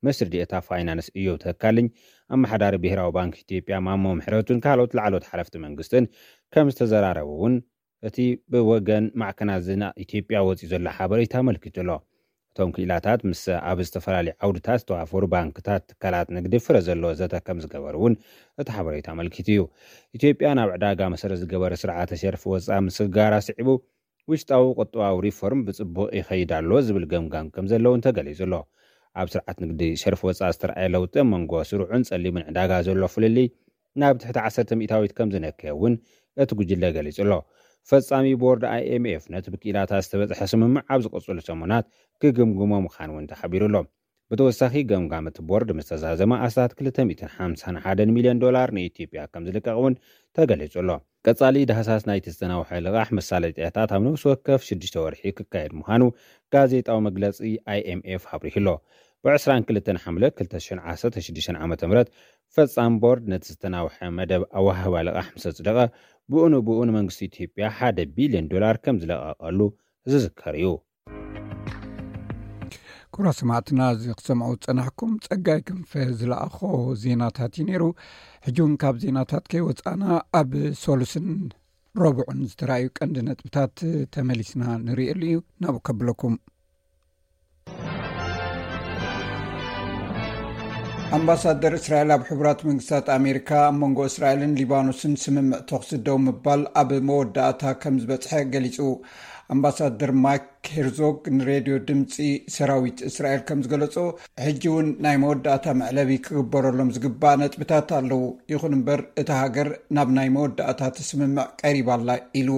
ሚኒስትር ዴኤታ ፋይናንስ እዮብ ተካልኝ፣ ኣመሓዳሪ ብሄራዊ ባንክ ኢትዮጵያ ማሞ ምሕረቱን ካልኦት ላዕለዎት ሓለፍቲ መንግስትን ከም ዝተዘራረቡ እውን እቲ ብወገን ማዕከናት ዜና ኢትዮጵያ ወጺኡ ዘሎ ሓበሬታ ኣመልኪቱ ኣሎ። እቶም ክኢላታት ምስ ኣብ ዝተፈላለዩ ዓውድታት ዝተዋፈሩ ባንክታት፣ ትካላት ንግዲ ፍረ ዘለዎ ዘተ ከም ዝገበሩ እውን እቲ ሓበሬታ ኣመልኪቱ እዩ። ኢትዮጵያ ናብ ዕዳጋ መሰረት ዝገበረ ስርዓተ ሸርፊ ወፃ ምስግጋራ ስዒቡ፣ ውሽጣዊ ቁጠባዊ ሪፎርም ብፅቡቕ ይኸይድ ኣሎ ዝብል ገምጋም ከም ዘለውን ተገሊጹ ኣሎ። ኣብ ስርዓት ንግዲ ሸርፊ ወፃ ዝተረኣየ ለውጢ ኣብ መንጎ ስሩዕን ጸሊምን ዕዳጋ ዘሎ ፍልልይ ናብ ትሕቲ ዓሰርተ ሚእታዊት ከም ዝነከየ እውን እቲ ጉጅለ ገሊጹ ኣሎ። ፈጻሚ ቦርድ ኣይኤምኤፍ ነቲ ብክኢላታት ዝተበጽሐ ስምምዕ ኣብ ዝቕጽሉ ሰሙናት ክግምግሞ ምዃኑ እውን ተሓቢሩ ኣሎ። ብተወሳኺ፣ ገምጋም እቲ ቦርድ ምስ ተዛዘመ ኣስታት ክልተ ሚእትን ሓምሳን ሓደን ሚልዮን ዶላር ንኢትዮጵያ ከም ዝልቀቕ እውን ተገሊጹ ኣሎ። ቀጻሊ ዳህሳስ ናይቲ ዝተናውሐ ልቓሕ መሳለጥያታት ኣብ ነፍሲ ወከፍ ሽዱሽተ ወርሒ ክካየድ ምዃኑ ጋዜጣዊ መግለጺ ኣይኤምኤፍ ኣብሪሁ ኣሎ። ብ ዕስራን ክልተን ሓምለ ክልተ ሽሕን ዓሰርተ ሽዱሽተን ዓመተ ምህረት ፈጻም ቦርድ ነቲ ዝተናውሐ መደብ ኣወሃህባ ልቓሕ ምስ ኣጽደቐ፣ ብኡ ንብኡ ንመንግስቲ ኢትዮጵያ ሓደ ቢልዮን ዶላር ከም ዝለቐቐሉ ዝዝከር እዩ። ክቡራት ሰማዕትና፣ እዚ ክሰምዑ ዝጸናሕኩም ጸጋይ ክንፈ ዝለኣኾ ዜናታት እዩ ነይሩ። ሕጂ እውን ካብ ዜናታት ከይወጻና፣ ኣብ ሰሉስን ረቡዕን ዝተራእዩ ቀንዲ ነጥብታት ተመሊስና ንርእየሉ እዩ። ናብኡ ከብለኩም። ኣምባሳደር እስራኤል ኣብ ሕቡራት መንግስታት ኣሜሪካ ኣብ መንጎ እስራኤልን ሊባኖስን ስምምዕ ተኹሲ ደው ምባል ኣብ መወዳእታ ከም ዝበጽሐ ገሊጹ። ኣምባሳደር ማይክ ሄርዞግ ንሬድዮ ድምጺ ሰራዊት እስራኤል ከም ዝገለጾ፣ ሕጂ እውን ናይ መወዳእታ መዕለቢ ክግበረሎም ዝግባእ ነጥብታት ኣለዉ። ይኹን እምበር፣ እታ ሃገር ናብ ናይ መወዳእታ ትስምምዕ ቀሪባ ኣላ ኢሉ።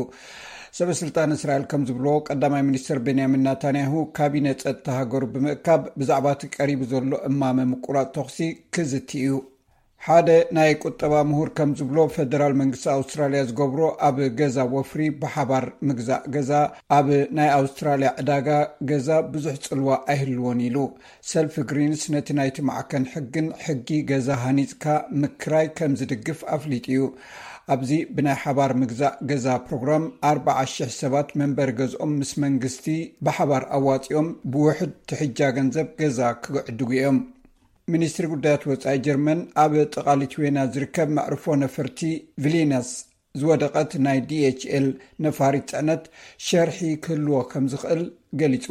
ሰበ ስልጣን እስራኤል ከም ዝብልዎ፣ ቀዳማይ ሚኒስትር ቤንያሚን ናታንያሁ ካቢነ ጸጥታ ሃገሩ ብምእካብ፣ ብዛዕባ እቲ ቀሪቡ ዘሎ እማመ ምቁራጽ ተኹሲ ክዝቲ እዩ። ሓደ ናይ ቁጠባ ምሁር ከም ዝብሎ፣ ፈደራል መንግስቲ ኣውስትራልያ ዝገብሮ ኣብ ገዛ ወፍሪ ብሓባር ምግዛእ ገዛ ኣብ ናይ ኣውስትራልያ ዕዳጋ ገዛ ብዙሕ ጽልዋ ኣይህልዎን ኢሉ። ሰልፊ ግሪንስ ነቲ ናይቲ ማዕከን ሕግን ሕጊ ገዛ ሃኒጽካ ምክራይ ከም ዝድግፍ ኣፍሊጡ እዩ። ኣብዚ ብናይ ሓባር ምግዛእ ገዛ ፕሮግራም ኣርባዓ ሽሕ ሰባት መንበሪ ገዝኦም ምስ መንግስቲ ብሓባር ኣዋጺኦም ብውሕድ ትሕጃ ገንዘብ ገዛ ክዕድጉ እዮም። ሚኒስትሪ ጉዳያት ወጻኢ ጀርመን ኣብ ጥቓ ሊትዌና ዝርከብ መዕርፎ ነፈርቲ ቪሊነስ ዝወደቐት ናይ ዲኤችኤል ነፋሪት ጽዕነት ሸርሒ ክህልዎ ከም ዝኽእል ገሊጹ።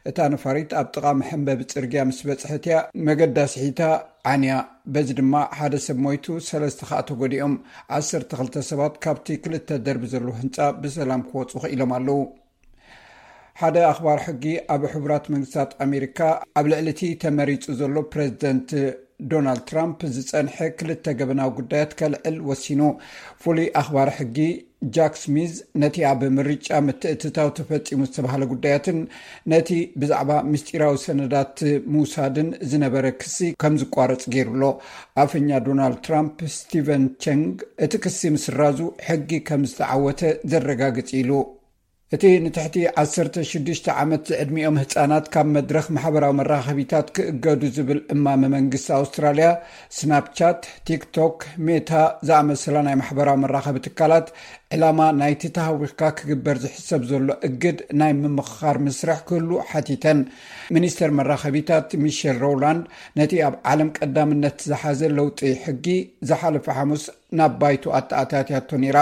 እታ ነፋሪት ኣብ ጥቓ መሐንበቢ ጽርግያ ምስ በጽሐት እያ መገዳ ስሒታ ዓንያ። በዚ ድማ ሓደ ሰብ ሞይቱ፣ ሰለስተ ከኣ ተጎዲኦም። ዓሰርተ ክልተ ሰባት ካብቲ ክልተ ደርቢ ዘለዎ ህንጻ ብሰላም ክወጹ ክኢሎም ኣለዉ። ሓደ ኣኽባር ሕጊ ኣብ ሕቡራት መንግስታት ኣሜሪካ ኣብ ልዕሊ እቲ ተመሪጹ ዘሎ ፕሬዚደንት ዶናልድ ትራምፕ ዝጸንሐ ክልተ ገበናዊ ጉዳያት ከልዕል ወሲኑ። ፍሉይ ኣኽባር ሕጊ ጃክ ስሚዝ ነቲ ኣብ ምርጫ ምትእትታው ተፈጺሙ ዝተባህለ ጉዳያትን ነቲ ብዛዕባ ምስጢራዊ ሰነዳት ሙሳድን ዝነበረ ክሲ ከም ዝቋረጽ ገይሩ ኣሎ። ኣፈኛ ዶናልድ ትራምፕ ስቲቨን ቸንግ እቲ ክሲ ምስራዙ ሕጊ ከም ዝተዓወተ ዘረጋግጽ ኢሉ። እቲ ንትሕቲ ዓሰርተ ሽዱሽተ ዓመት ዝዕድሚኦም ህጻናት ካብ መድረኽ ማሕበራዊ መራኸቢታት ክእገዱ ዝብል እማመ መንግስቲ ኣውስትራልያ፣ ስናፕቻት፣ ቲክቶክ፣ ሜታ ዝኣመሰላ ናይ ማሕበራዊ መራኸቢ ትካላት ዕላማ ናይቲ ተሃዊኽካ ክግበር ዝሕሰብ ዘሎ እግድ ናይ ምምኽኻር ምስርሕ ክህሉ ሓቲተን። ሚኒስተር መራኸቢታት ሚሸል ሮውላንድ ነቲ ኣብ ዓለም ቀዳምነት ዝሓዘ ለውጢ ሕጊ ዝሓለፈ ሓሙስ ናብ ባይቶ ኣተኣታትያቶ ነይራ።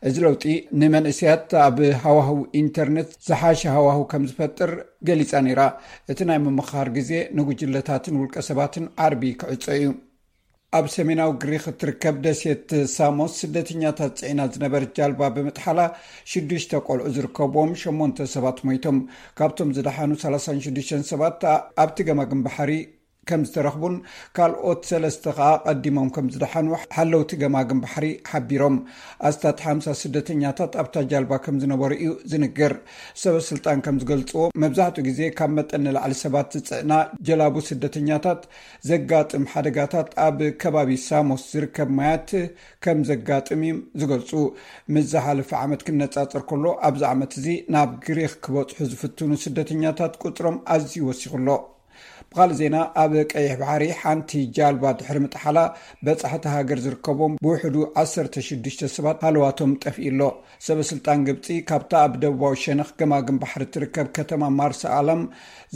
እዚ ለውጢ ንመንእሰያት ኣብ ሃዋህው ኢንተርነት ዝሓሸ ሃዋህው ከም ዝፈጥር ገሊጻ ነይራ። እቲ ናይ ምምኽኻር ግዜ ንጉጅለታትን ውልቀ ሰባትን ዓርቢ ክዕጾ እዩ። ኣብ ሰሜናዊ ግሪክ እትርከብ ደሴት ሳሞስ ስደተኛታት ጽዒና ዝነበረት ጃልባ ብምጥሓላ ሽዱሽተ ቆልዑ ዝርከብዎም ሸሞንተ ሰባት ሞይቶም። ካብቶም ዝደሓኑ ሰላሳን ሽዱሽተን ሰባት ኣብቲ ገማግም ባሕሪ ከም ዝተረኽቡን ካልኦት ሰለስተ ከኣ ቀዲሞም ከም ዝደሓኑ ሓለውቲ ገማግም ባሕሪ ሓቢሮም። ኣስታት ሓምሳ ስደተኛታት ኣብታ ጃልባ ከም ዝነበሩ እዩ ዝንገር። ሰበ ስልጣን ከም ዝገልጽዎ፣ መብዛሕትኡ ግዜ ካብ መጠን ንላዕሊ ሰባት ዝጽዕና ጀላቡ ስደተኛታት ዘጋጥም ሓደጋታት ኣብ ከባቢ ሳሞስ ዝርከብ ማያት ከም ዘጋጥም እዮም ዝገልጹ። ምስ ዝሓለፈ ዓመት ክነጻጸር ከሎ፣ ኣብዚ ዓመት እዚ ናብ ግሪኽ ክበጽሑ ዝፍትኑ ስደተኛታት ቁጽሮም ኣዝዩ ወሲኹ ኣሎ። ብኻልእ ዜና፣ ኣብ ቀይሕ ባሕሪ ሓንቲ ጃልባ ድሕሪ ምጥሓላ፣ በጻሕቲ ሃገር ዝርከቦም ብውሕዱ ዓሰርተ ሽዱሽተ ሰባት ሃለዋቶም ጠፍኡ ኣሎ። ሰበ ስልጣን ግብጺ፣ ካብታ ኣብ ደቡባዊ ሸነኽ ገማግም ባሕሪ እትርከብ ከተማ ማርሳ ኣላም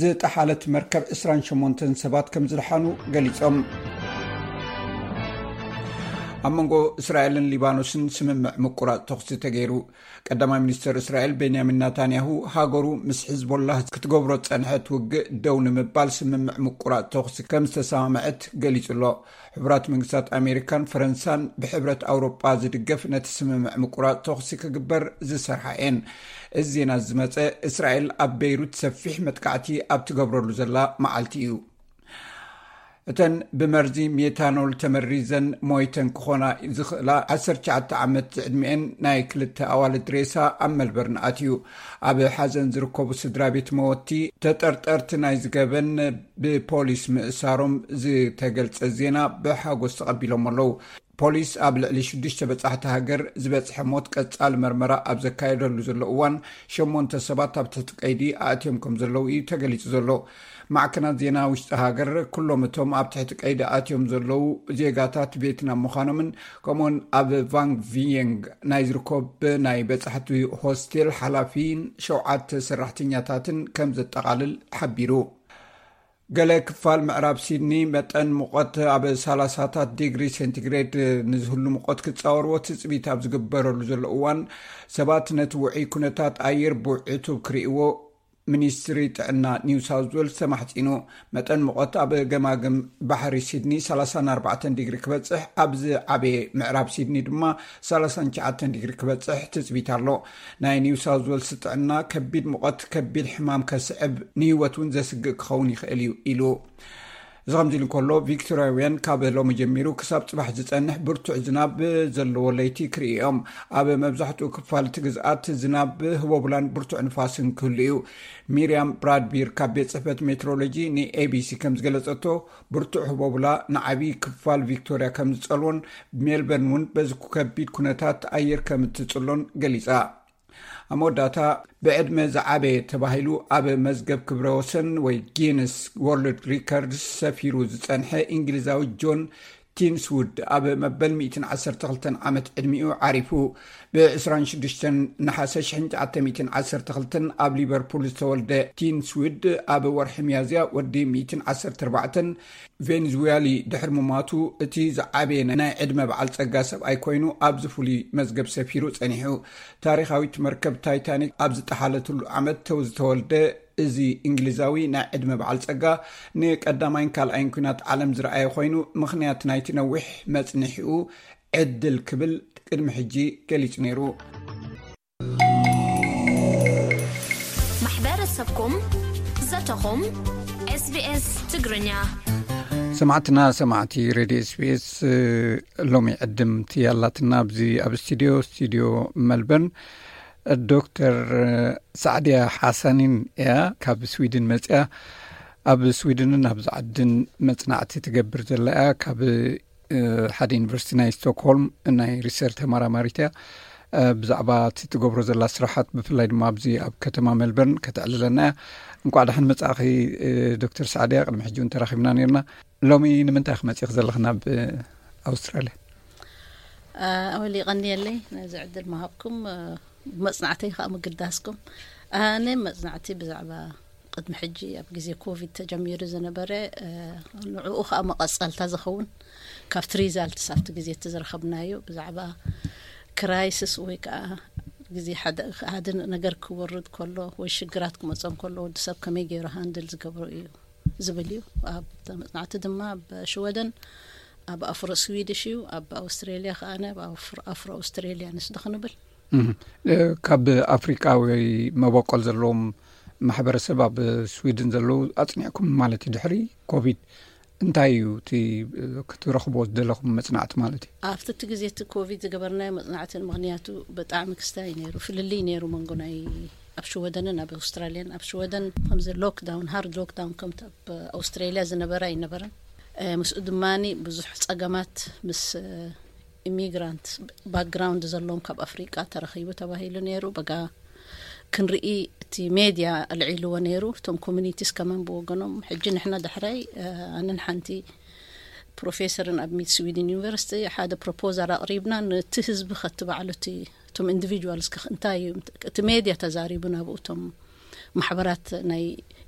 ዝጠሓለት መርከብ ዕስራን ሸሞንተን ሰባት ከም ዝደሓኑ ገሊጾም። ኣብ መንጎ እስራኤልን ሊባኖስን ስምምዕ ምቁራጽ ተኹሲ ተገይሩ። ቀዳማይ ሚኒስተር እስራኤል ቤንያሚን ናታንያሁ፣ ሃገሩ ምስ ሕዝቦላህ ክትገብሮ ዝጸንሐት ውግእ ደው ንምባል ስምምዕ ምቁራጽ ተኹሲ ከም ዝተሰማምዐት ገሊጹ ኣሎ። ሕቡራት መንግስታት ኣሜሪካን ፈረንሳን ብሕብረት ኣውሮጳ ዝድገፍ ነቲ ስምምዕ ምቁራጽ ተኹሲ ክግበር ዝሰርሓ እየን። እዚ ዜና ዝመጸ እስራኤል ኣብ ቤይሩት ሰፊሕ መጥቃዕቲ ኣብ ትገብረሉ ዘላ መዓልቲ እዩ። እተን ብመርዚ ሜታኖል ተመሪዘን ሞይተን ክኾና ዝኽእላ ዓሰርተ ትሽዓተ ዓመት ዝዕድሚኤን ናይ ክልተ ኣዋልድ ሬሳ ኣብ መልበርን ኣትዩ። ኣብ ሓዘን ዝርከቡ ስድራ ቤት መወቲ፣ ተጠርጠርቲ ናይ ዝገበን ብፖሊስ ምእሳሮም ዝተገልጸ ዜና ብሓጎስ ተቐቢሎም ኣለዉ። ፖሊስ ኣብ ልዕሊ ሽዱሽተ በጻሕቲ ሃገር ዝበጽሐ ሞት ቀጻሊ መርመራ ኣብ ዘካየደሉ ዘሎ እዋን፣ ሸሞንተ ሰባት ኣብ ትሕቲ ቀይዲ ኣእትዮም ከም ዘለዉ እዩ ተገሊጹ ዘሎ። ማዕከናት ዜና ውሽጢ ሃገር፣ ኩሎም እቶም ኣብ ትሕቲ ቀይዲ ኣትዮም ዘለዉ ዜጋታት ቬትናም ምዃኖምን፣ ከምኡውን ኣብ ቫንግ ቪየንግ ናይ ዝርከቡ ናይ በጻሕቲ ሆስቴል ሓላፊን ሸውዓተ ሰራሕተኛታትን ከም ዘጠቓልል ሓቢሩ። ገለ ክፋል ምዕራብ ሲድኒ መጠን ሙቐት ኣብ ሰላሳታት ዲግሪ ሴንቲግሬድ ንዝህሉ ሙቐት ክጻወርዎ ትጽቢት ኣብ ዝግበረሉ ዘሎ እዋን፣ ሰባት ነቲ ውዑይ ኩነታት ኣየር ብዕቱብ ክርእይዎ ሚኒስትሪ ጥዕና ኒው ሳውዝ ዌልስ ተማሕጺኑ። መጠን ሙቐት ኣብ ገማግም ባሕሪ ሲድኒ ሰላሳን ኣርባዕተን ዲግሪ ክበጽሕ፣ ኣብ ዝዓበየ ምዕራብ ሲድኒ ድማ ሰላሳን ትሽዓተን ዲግሪ ክበጽሕ ትጽቢት ኣሎ። ናይ ኒው ሳውዝ ዌልስ ጥዕና፣ ከቢድ ሙቐት ከቢድ ሕማም ከስዕብ፣ ንህይወት እውን ዘስግእ ክኸውን ይኽእል እዩ ኢሉ። እዚ ከምዚ ኢሉ እንከሎ፣ ቪክቶሪያውያን ካብ ሎሚ ጀሚሩ ክሳብ ጽባሕ ዝጸንሕ ብርቱዕ ዝናብ ዘለዎ ለይቲ ክርእዩ እዮም። ኣብ መብዛሕትኡ ክፋል እቲ ግዝኣት ዝናብ፣ ህቦብላን ብርቱዕ ንፋስን ክህሉ እዩ። ሚርያም ብራድቢር ካብ ቤት ጽሕፈት ሜትሮሎጂ ንኤቢሲ ከም ዝገለጸቶ፣ ብርቱዕ ህቦብላ ንዓቢ ክፋል ቪክቶሪያ ከም ዝጸልዎን ሜልበርን እውን በዚ ከቢድ ኩነታት ኣየር ከም እትጽሎን ገሊጻ። ኣብ መወዳእታ፣ ብዕድመ ዝዓበየ ተባሂሉ ኣብ መዝገብ ክብረ ወሰን ወይ ጊነስ ወርልድ ሪከርድስ ሰፊሩ ዝጸንሐ እንግሊዛዊ ጆን ቲንስውድ ኣብ መበል ሚእትን ዓሰርተ ክልተን ዓመት ዕድሚኡ ዓሪፉ። ብ ዕስራን ሽዱሽተን ነሓሰ ሽሕን ትሽዓተ ሚእትን ዓሰርተ ክልተን ኣብ ሊቨርፑል ዝተወልደ ቲንስውድ፣ ኣብ ወርሒ ሚያዝያ ወዲ ሚእትን ዓሰርተ ኣርባዕተን ቬንዙዌሊ ድሕሪ ምማቱ፣ እቲ ዝዓበየ ናይ ዕድመ በዓል ጸጋ ሰብኣይ ኮይኑ ኣብዚ ፍሉይ መዝገብ ሰፊሩ ጸኒሑ። ታሪኻዊት መርከብ ታይታኒክ ኣብ ዝጠሓለትሉ ዓመት ተው ዝተወልደ እዚ እንግሊዛዊ ናይ ዕድመ በዓል ጸጋ፣ ንቀዳማይን ካልኣይን ኲናት ዓለም ዝረኣየ ኮይኑ፣ ምኽንያት ናይቲ ነዊሕ መጽንሒኡ ዕድል ክብል ቅድሚ ሕጂ ገሊጹ ነይሩ። ማሕበረሰብኩም፣ ዘተኹም፣ SBS ትግርኛ። ሰማዕትና ሰማዕቲ ሬድዮ ኤስቢኤስ፣ ሎሚ ዕድምቲ ያላትና ኣብዚ ኣብ ስቱዲዮ ስቱዲዮ መልበርን፣ ዶክተር ሳዕድያ ሓሳኒን እያ። ካብ ስዊድን መፅያ፣ ኣብ ስዊድንን ኣብዚ ዓድን መፅናዕቲ ትገብር ዘላ እያ። ካብ ሓደ ዩኒቨርሲቲ ናይ ስቶክሆልም ናይ ሪሰርች ተመራማሪት እያ። ብዛዕባ እቲ ትገብሮ ዘላ ስራሓት፣ ብፍላይ ድማ ኣብዚ ኣብ ከተማ ሜልበርን ከተዕልለና እያ። እንቋዕ ደሓን መጻእኺ ዶክተር ሳዕድያ። ቅድሚ ሕጂ እውን ተራኺብና ነርና። ሎሚ ንምንታይ ክመጽእኺ ዘለኺ ናብ ኣውስትራልያ? ኣወሊ ቀንየለይ ነዚ ዕድል ምሃብኩም፣ ብመጽናዕተይ ከዓ ምግዳስኩም። ኣነ መጽናዕቲ ብዛዕባ ቅድሚ ሕጂ ኣብ ግዜ ኮቪድ ተጀሚሩ ዝነበረ፣ ንዕኡ ከዓ መቐጸልታ ዝኸውን ካብቲ ሪዛልትስ ኣብቲ ግዜ እቲ ዝረኸብናዮ ብዛዕባ ክራይስስ ወይ ከዓ ግዜ ሓደ ነገር ክወርድ ከሎ ወይ ሽግራት ክመፀ ከሎ ወዲ ሰብ ከመይ ገይሩ ሃንድል ዝገብሮ እዩ ዝብል እዩ። ኣብ መፅናዕቲ ድማ ኣብ ሽወደን፣ ኣብ ኣፍሮ ስዊድሽ እዩ፣ ኣብ ኣውስትሬሊያ ከዓ ኣብ ኣፍሮ ኣውስትሬሊያ ንስዶ ክንብል። ካብ ኣፍሪቃ ወይ መበቆል ዘለዎም ማሕበረሰብ ኣብ ስዊድን ዘለዉ ኣፅኒዕኩም ማለት እዩ። ድሕሪ ኮቪድ እንታይ እዩ እቲ ክትረኽቦ ዝደለኹም መፅናዕቲ ማለት እዩ? ኣብቲ እቲ ግዜ እቲ ኮቪድ ዝገበርናዮ መፅናዕቲ፣ ምኽንያቱ ብጣዕሚ ክስታይ ነይሩ፣ ፍልልይ ነይሩ መንጎ ናይ ኣብ ሽወደንን ኣብ ኣውስትራልያን። ኣብ ሽወደን ከምዚ ሎክዳውን፣ ሃርድ ሎክዳውን ከምቲ ኣብ ኣውስትራልያ ዝነበረ ኣይነበረን። ምስኡ ድማ ብዙሕ ፀገማት ምስ ኢሚግራንት ባክግራውንድ ዘለዎም ካብ ኣፍሪቃ ተረኺቡ ተባሂሉ ነይሩ። በጋ ክንርኢ እቲ ሜድያ ኣልዒልዎ ነይሩ። እቶም ኮሚኒቲስ ከማን ብወገኖም፣ ሕጂ ንሕና ዳሕራይ ኣነን ሓንቲ ፕሮፌሰርን ኣብ ሚድ ስዊድን ዩኒቨርሲቲ ሓደ ፕሮፖዛል ኣቕሪብና፣ ነቲ ህዝቢ ከትባዕሉ እቲ እቶም ኢንዲቪጁዋልስ እንታይ እዩ እቲ ሜድያ ተዛሪቡ ናብኡ፣ እቶም ማሕበራት ናይ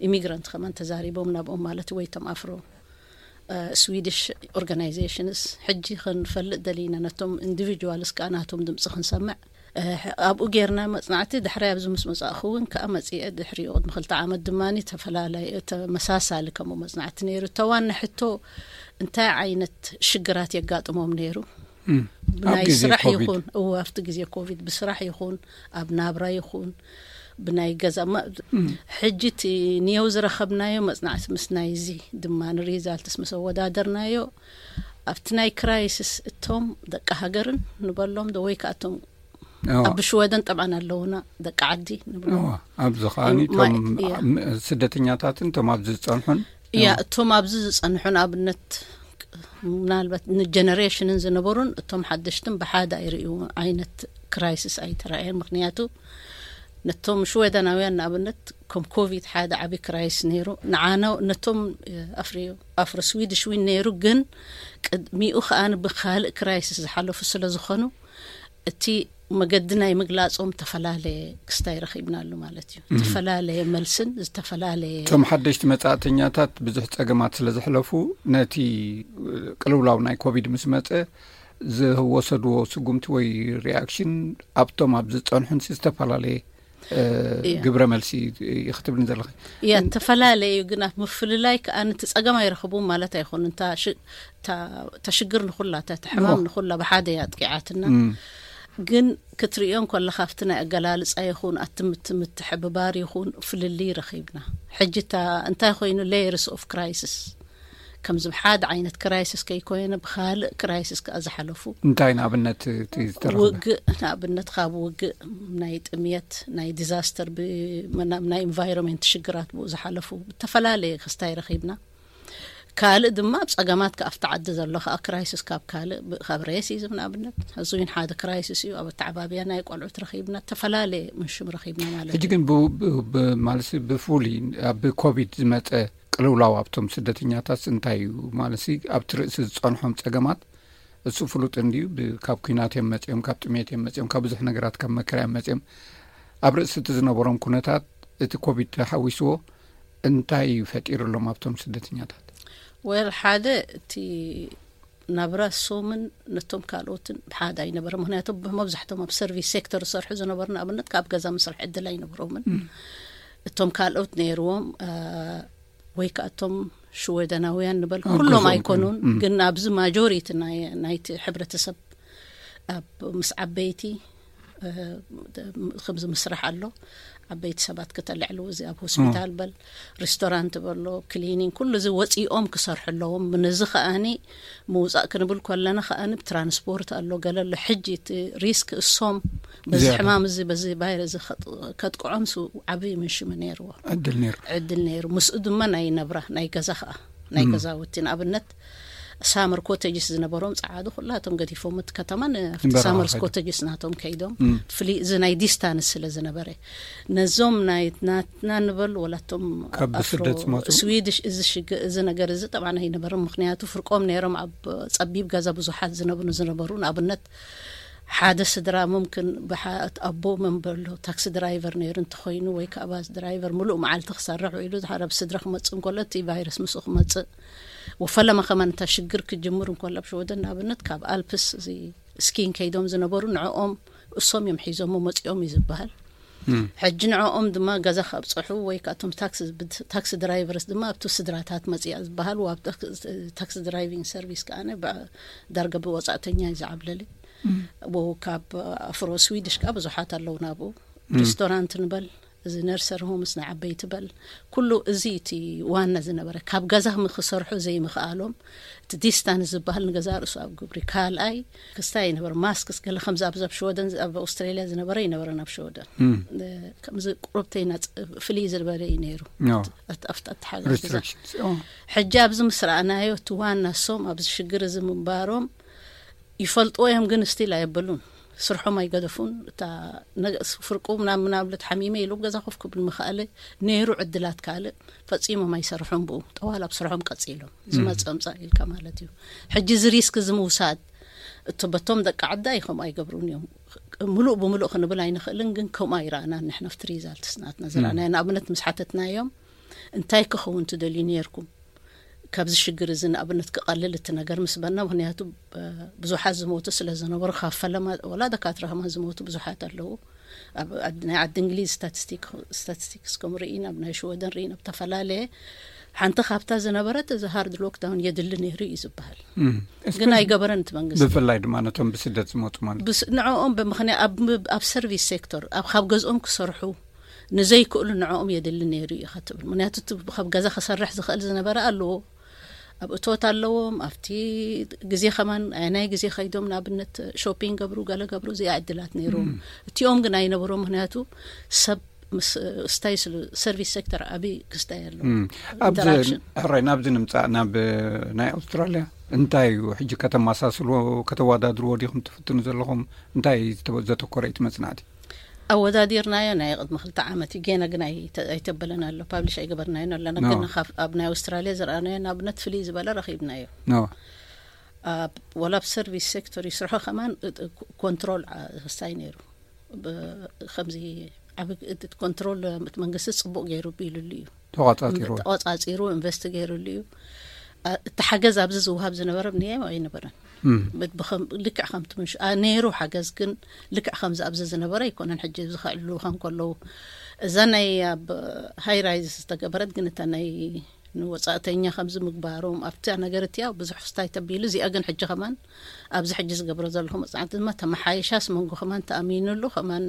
ኢሚግራንት ከማን ተዛሪቦም ናብኦም ማለት ወይ እቶም ኣፍሮ ስዊድሽ ኦርጋናይዜሽንስ ሕጂ ክንፈልጥ ደሊና፣ ነቶም ኢንዲቪጁዋልስ ከዓ ናቶም ድምፂ ክንሰምዕ። ኣብኡ ጌርና መፅናዕቲ ድሕሪ ኣብዚ ምስ መፃእኹ እውን ከዓ መፅአ። ድሕሪኡ ቅድሚ ክልተ ዓመት ድማ ተፈላለዩ ተመሳሳሊ ከምኡ መፅናዕቲ ነይሩ። ተዋና ሕቶ እንታይ ዓይነት ሽግራት የጋጥሞም ነይሩ? ብናይ ስራሕ ይኹን፣ እወ፣ ኣብቲ ግዜ ኮቪድ ብስራሕ ይኹን ኣብ ናብራ ይኹን ብናይ ገዛ፣ ሕጂ እቲ ኒየው ዝረኸብናዮ መፅናዕቲ ምስ ናይዚ ድማ ንሪዛልትስ ምስ ኣወዳደርናዮ፣ ኣብቲ ናይ ክራይሲስ እቶም ደቂ ሃገርን ንበሎም ዶ ወይ ከዓ እቶም ኣብ ሽወደን ጠብዓን ኣለውና ደቂ ዓዲ ንብሎ። ኣብዚ ከዓኒ እቶም ስደተኛታትን እቶም ኣብዚ ዝፀንሑን፣ እያ፣ እቶም ኣብዚ ዝፀንሑን ኣብነት ምናልባት ንጀነሬሽንን ዝነበሩን እቶም ሓደሽትን ብሓደ ኣይርእዩ ዓይነት ክራይሲስ ኣይተራእየን። ምክንያቱ ነቶም ሽወደናውያን ንኣብነት ከም ኮቪድ ሓደ ዓቢ ክራይስ ነይሩ። ንዓና ነቶም ኣፍሪ ኣፍሮ ስዊድሽ ዊን ነይሩ፣ ግን ቅድሚኡ ከኣ ብካልእ ክራይሲስ ዝሓለፉ ስለ ዝኾኑ እቲ መገዲ ናይ ምግላጾም ተፈላለየ ክስታይ ረኺብናሉ ማለት እዩ። ተፈላለየ መልስን ዝተፈላለየ እቶም ሓደሽቲ መጻእተኛታት ብዙሕ ጸገማት ስለ ዘሕለፉ ነቲ ቅልውላው ናይ ኮቪድ ምስ መጸ ዝወሰድዎ ስጉምቲ ወይ ሪኣክሽን ኣብቶም ኣብ ዝጸንሑን ዝተፈላለየ ግብረ መልሲ እዩ ክትብልን ዘለኺ። እያ፣ ተፈላለየ እዩ፣ ግን ኣብ ምፍልላይ ከኣ ነቲ ጸገም ኣይረኽቡን ማለት ኣይኮኑን። እታ ሽግር ንኹላ፣ እታ ሕማም ንኹላ ብሓደ እያ ኣጥቂዓትና። ግን ክትርእዮ እንከለኻ ኣብቲ ናይ ኣገላልጻ ይኹን ኣቲ ምትሕብባር ይኹን ፍልልይ ረኺብና። ሕጂ እታ እንታይ ኮይኑ layers of crisis፣ ከምዚ ብሓደ ዓይነት ክራይሲስ ከይኮነ ብኻልእ ክራይሲስ ከኣ ዝሓለፉ እንታይ ንኣብነት እቲ ዝተረኽበ? ውግእ፣ ንኣብነት ካብ ውግእ፣ ናይ ጥምየት፣ ናይ ዲዛስተር፣ ብናይ ኢንቫይሮንመንት ሽግራት ብኡ ዝሓለፉ ብተፈላለየ ክስታይ ረኺብና። ካልእ ድማ ኣብ ጸገማት ከኣ ኣብቲ ዓዲ ዘሎ ከኣ ክራይሲስ ካብ ካልእ ካብ ሬሲዝም ንኣብነት እዚ እውን ሓደ ክራይሲስ እዩ። ኣብ ኣተዓባብያ ናይ ቆልዑት ረኺብና፣ ተፈላለየ ምንሽም ረኺብና ማለት እዩ። ሕጂ ግን ማለት ብፍሉይ ኣብ ኮቪድ ዝመጸ ቅልውላው ኣብቶም ስደተኛታት እንታይ እዩ ማለት ኣብቲ ርእሲ ዝጸንሖም ጸገማት እሱ ፍሉጥ እንድዩ። ካብ ኩናት እዮም መጺኦም፣ ካብ ጥሜት እዮም መጺኦም፣ ካብ ብዙሕ ነገራት ካብ መከራ እዮም መጺኦም። ኣብ ርእሲ እቲ ዝነበሮም ኩነታት እቲ ኮቪድ ተሓዊስዎ እንታይ እዩ ፈጢሩሎም ኣብቶም ስደተኛታት? ወል ሓደ እቲ ናብራ ሶምን ነቶም ካልኦትን ብሓደ ኣይነበረ። ምክንያቱ መብዛሕቶም ኣብ ሰርቪስ ሴክተር ዝሰርሑ ዝነበሩ ንኣብነት ካብ ገዛ ምስራሕ ዕድል ኣይነበሮምን። እቶም ካልኦት ነይርዎም ወይ ከዓ እቶም ሽወደናውያን ንበል ኩሎም ኣይኮኑን፣ ግን ኣብዚ ማጆሪቲ ናይቲ ሕብረተሰብ ኣብ ምስ ዓበይቲ ከምዚ ምስራሕ ኣሎ። ዓበይቲ ሰባት ከተልዕሉ እዚ ኣብ ሆስፒታል በል ሬስቶራንት በሎ ክሊኒንግ ኩሉ እዚ ወፂኦም ክሰርሑ ኣለዎም። ነዚ ከኣኒ ምውፃእ ክንብል ከለና ከኣኒ ትራንስፖርት ኣሎ ገለ ኣሎ። ሕጂ እቲ ሪስክ እሶም በዚ ሕማም እዚ በዚ ቫይረስ እዚ ከጥቅዖም ሱ ዓብዪ ምንሽሚ ነይርዎ። ዕድል ነይሩ። ዕድል ነይሩ። ምስኡ ድማ ናይ ነብራ ናይ ገዛ ከኣ ናይ ገዛውቲ ንኣብነት ሳመር ኮቴጅስ ዝነበሮም ጸዓዱ ኩላቶም ገዲፎም እቲ ከተማን ኣብቲ ሳመርስ ኮቴጅስ ናቶም ከይዶም ፍሊ እዚ ናይ ዲስታንስ ስለ ዝነበረ ነዞም ናይ ናትና ንበል ወላቶም ካብ ብስደት ዝመጹ ስዊድሽ እዚ ሽግ እዚ ነገር እዚ ጠብዓና ኣይነበርም። ምክንያቱ ፍርቆም ነይሮም ኣብ ጸቢብ ገዛ ብዙሓት ዝነብሩ ዝነበሩ ንኣብነት ሓደ ስድራ ሙምክን ብሓት ኣቦ መንበሎ ታክሲ ድራይቨር ነይሩ እንተኾይኑ ወይ ከዓ ባስ ድራይቨር ሙሉእ መዓልቲ ክሰርሕ ውዒሉ ድሓር ኣብ ስድራ ክመፅእ እንከሎ እቲ ቫይረስ ምስኡ ክመፅእ ወፈለማ ከማን እታ ሽግር ክጅምር እንከሎ ኣብ ሽወደን ንኣብነት ካብ ኣልፕስ እዚ ስኪን ከይዶም ዝነበሩ ንዕኦም እሶም እዮም ሒዞሞ መፂኦም እዩ ዝበሃል። ሕጂ ንዕኦም ድማ ገዛ ካብፅሑ ወይ ከዓ እቶም ታክሲ ድራይቨርስ ድማ ኣብቲ ስድራታት መፅያ ዝበሃል ኣብ ታክሲ ድራይቪንግ ሰርቪስ ከዓ ዳርገ ብወፃእተኛ እዩ ዝዓብለለ። ካብ ኣፍሮ ስዊድሽ ከዓ ብዙሓት ኣለዉ ናብኡ ሬስቶራንት ንበል እዚ ነርሰር ሆምስ ናይ ዓበይቲ በል ኩሉ እዚ እቲ ዋና ዝነበረ ካብ ገዛ ክሰርሑ ዘይምኽኣሎም እቲ ዲስታንስ ዝበሃል ንገዛ ርእሱ ኣብ ግብሪ ካልኣይ ክስታይ ይነበር ማስክስ ገለ ከምዚ ኣብዚ ኣብ ሽወደን ኣብ ኣውስትራሊያ ዝነበረ ይነበረን ኣብ ሽወደን ከምዚ ቁረብተይና ፍልይ ዝበለ እዩ ነይሩ። ኣብቲ ኣተሓጋግዛ ሕጂ ኣብዚ ምስ ረኣናዮ እቲ ዋና ሶም ኣብዚ ሽግር እዚ ምንባሮም ይፈልጥዎ እዮም፣ ግን ስቲል ኣየበሉን። ስርሖም ኣይገደፉን። እታ ፍርቁ ምናምን ምናብለት ሓሚመ ኢሉ ገዛ ኮፍ ክብል ምኽኣለ ነይሩ ዕድላት ካልእ ፈጺሞም ኣይሰርሑን። ብኡ ጠዋል ኣብ ስርሖም ቀጺሎም ዝመጽእ ምጻእ ኢልካ ማለት እዩ። ሕጂ እዚ ሪስክ እዚ ምውሳድ እቲ በቶም ደቂ ዓዳ ይኸም ኣይገብሩን እዮም። ምሉእ ብምሉእ ክንብል ኣይንኽእልን፣ ግን ከምኡ ኣይረኣናን ንሕና ኣብቲ ሪዛልትስ ናትና ዝረኣናዮ። ንኣብነት ምስ ሓተትናዮም እንታይ ክኸውን ትደልዩ ነይርኩም? ካብዚ ሽግር እዚ ንኣብነት ክቐልል እቲ ነገር ምስ በና፣ ምኽንያቱ ብዙሓት ዝሞቱ ስለ ዝነበሩ፣ ካብ ፈለማ ወላ ደካትራ ከማን ዝሞቱ ብዙሓት ኣለዉ። ኣብ ናይ ዓዲ እንግሊዝ ስታቲስቲክስ ከም ርኢን ኣብ ናይ ሽወደን ርኢን ኣብ ተፈላለየ ሓንቲ ካብታ ዝነበረት እዚ ሃርድ ሎክዳውን የድሊ ነይሩ እዩ ዝበሃል። ግን ኣይገበረን እቲ መንግስቲ። ብፍላይ ድማ ነቶም ብስደት ዝመፁ ማለት ንዕኦም ብምኽንያት ኣብ ሰርቪስ ሴክተር ኣብ ካብ ገዝኦም ክሰርሑ ንዘይክእሉ ንዕኦም የድሊ ነይሩ እዩ ክትብል። ምክንያቱ ካብ ገዛ ክሰርሕ ዝኽእል ዝነበረ ኣለዎ፣ ኣብ እቶት ኣለዎም። ኣብቲ ግዜ ከማን ናይ ግዜ ከይዶም ንኣብነት ሾፒንግ ገብሩ ገለ ገብሩ እዚኣ ዕድላት ነይሩ። እቲኦም ግን ኣይነበሮም። ምክንያቱ ሰብ ስታይ ስሉ ሰርቪስ ሴክተር ዓብዪ ክስታይ ኣለዎ። ሕራይ ናብዚ ንምፃእ ናብ ናይ ኣውስትራልያ እንታይ እዩ ሕጂ ከተመሳስልዎ ከተወዳድርዎ ዲኹም ትፍትኑ ዘለኹም? እንታይ ዘተኮረ እዩ እቲ መፅናዕቲ? ኣወዳዲርናዮ ናይ ቅድሚ ክልተ ዓመት እዩ። ጌና ግን ኣይተበለን ኣሎ፣ ፓብሊሽ ኣይገበርናዮን ኣለና። ግን ኣብ ናይ ኣውስትራልያ ዝረኣናዮ ንኣብነት ፍልይ ዝበለ ረኺብናዮ። ወላ ኣብ ሰርቪስ ሴክተር ይስርሖ ከማን ኮንትሮል ክስታይ ነይሩ። ከምዚ ዓብ ኮንትሮል እቲ መንግስቲ ፅቡቅ ገይሩ ቢሉሉ እዩ። ተቋፃፂሩ ተቋፃፂሩ ኢንቨስት ገይሩሉ እዩ። እቲ ሓገዝ ኣብዚ ዝውሃብ ዝነበረ ብንያም ኣይነበረን። ልክዕ ከምቲ ምሽ ነይሩ ሓገዝ፣ ግን ልክዕ ከምዚ ኣብዚ ዝነበረ ኣይኮነን። ሕጂ ዝኸዕሉ ከንከለዉ እዛ ናይ ኣብ ሃይ ራይዝ ዝተገበረት ግን እታ ናይ ንወፃእተኛ ከምዚ ምግባሮም ኣብቲ ነገር እቲያ ብዙሕ ክስታይ ተቢሉ። እዚኣ ግን ሕጂ ከማን ኣብዚ ሕጂ ዝገብሮ ዘለኹ መፅናዕቲ ድማ ተመሓይሻስ መንጎ ከማን ተኣሚኑሉ ከማን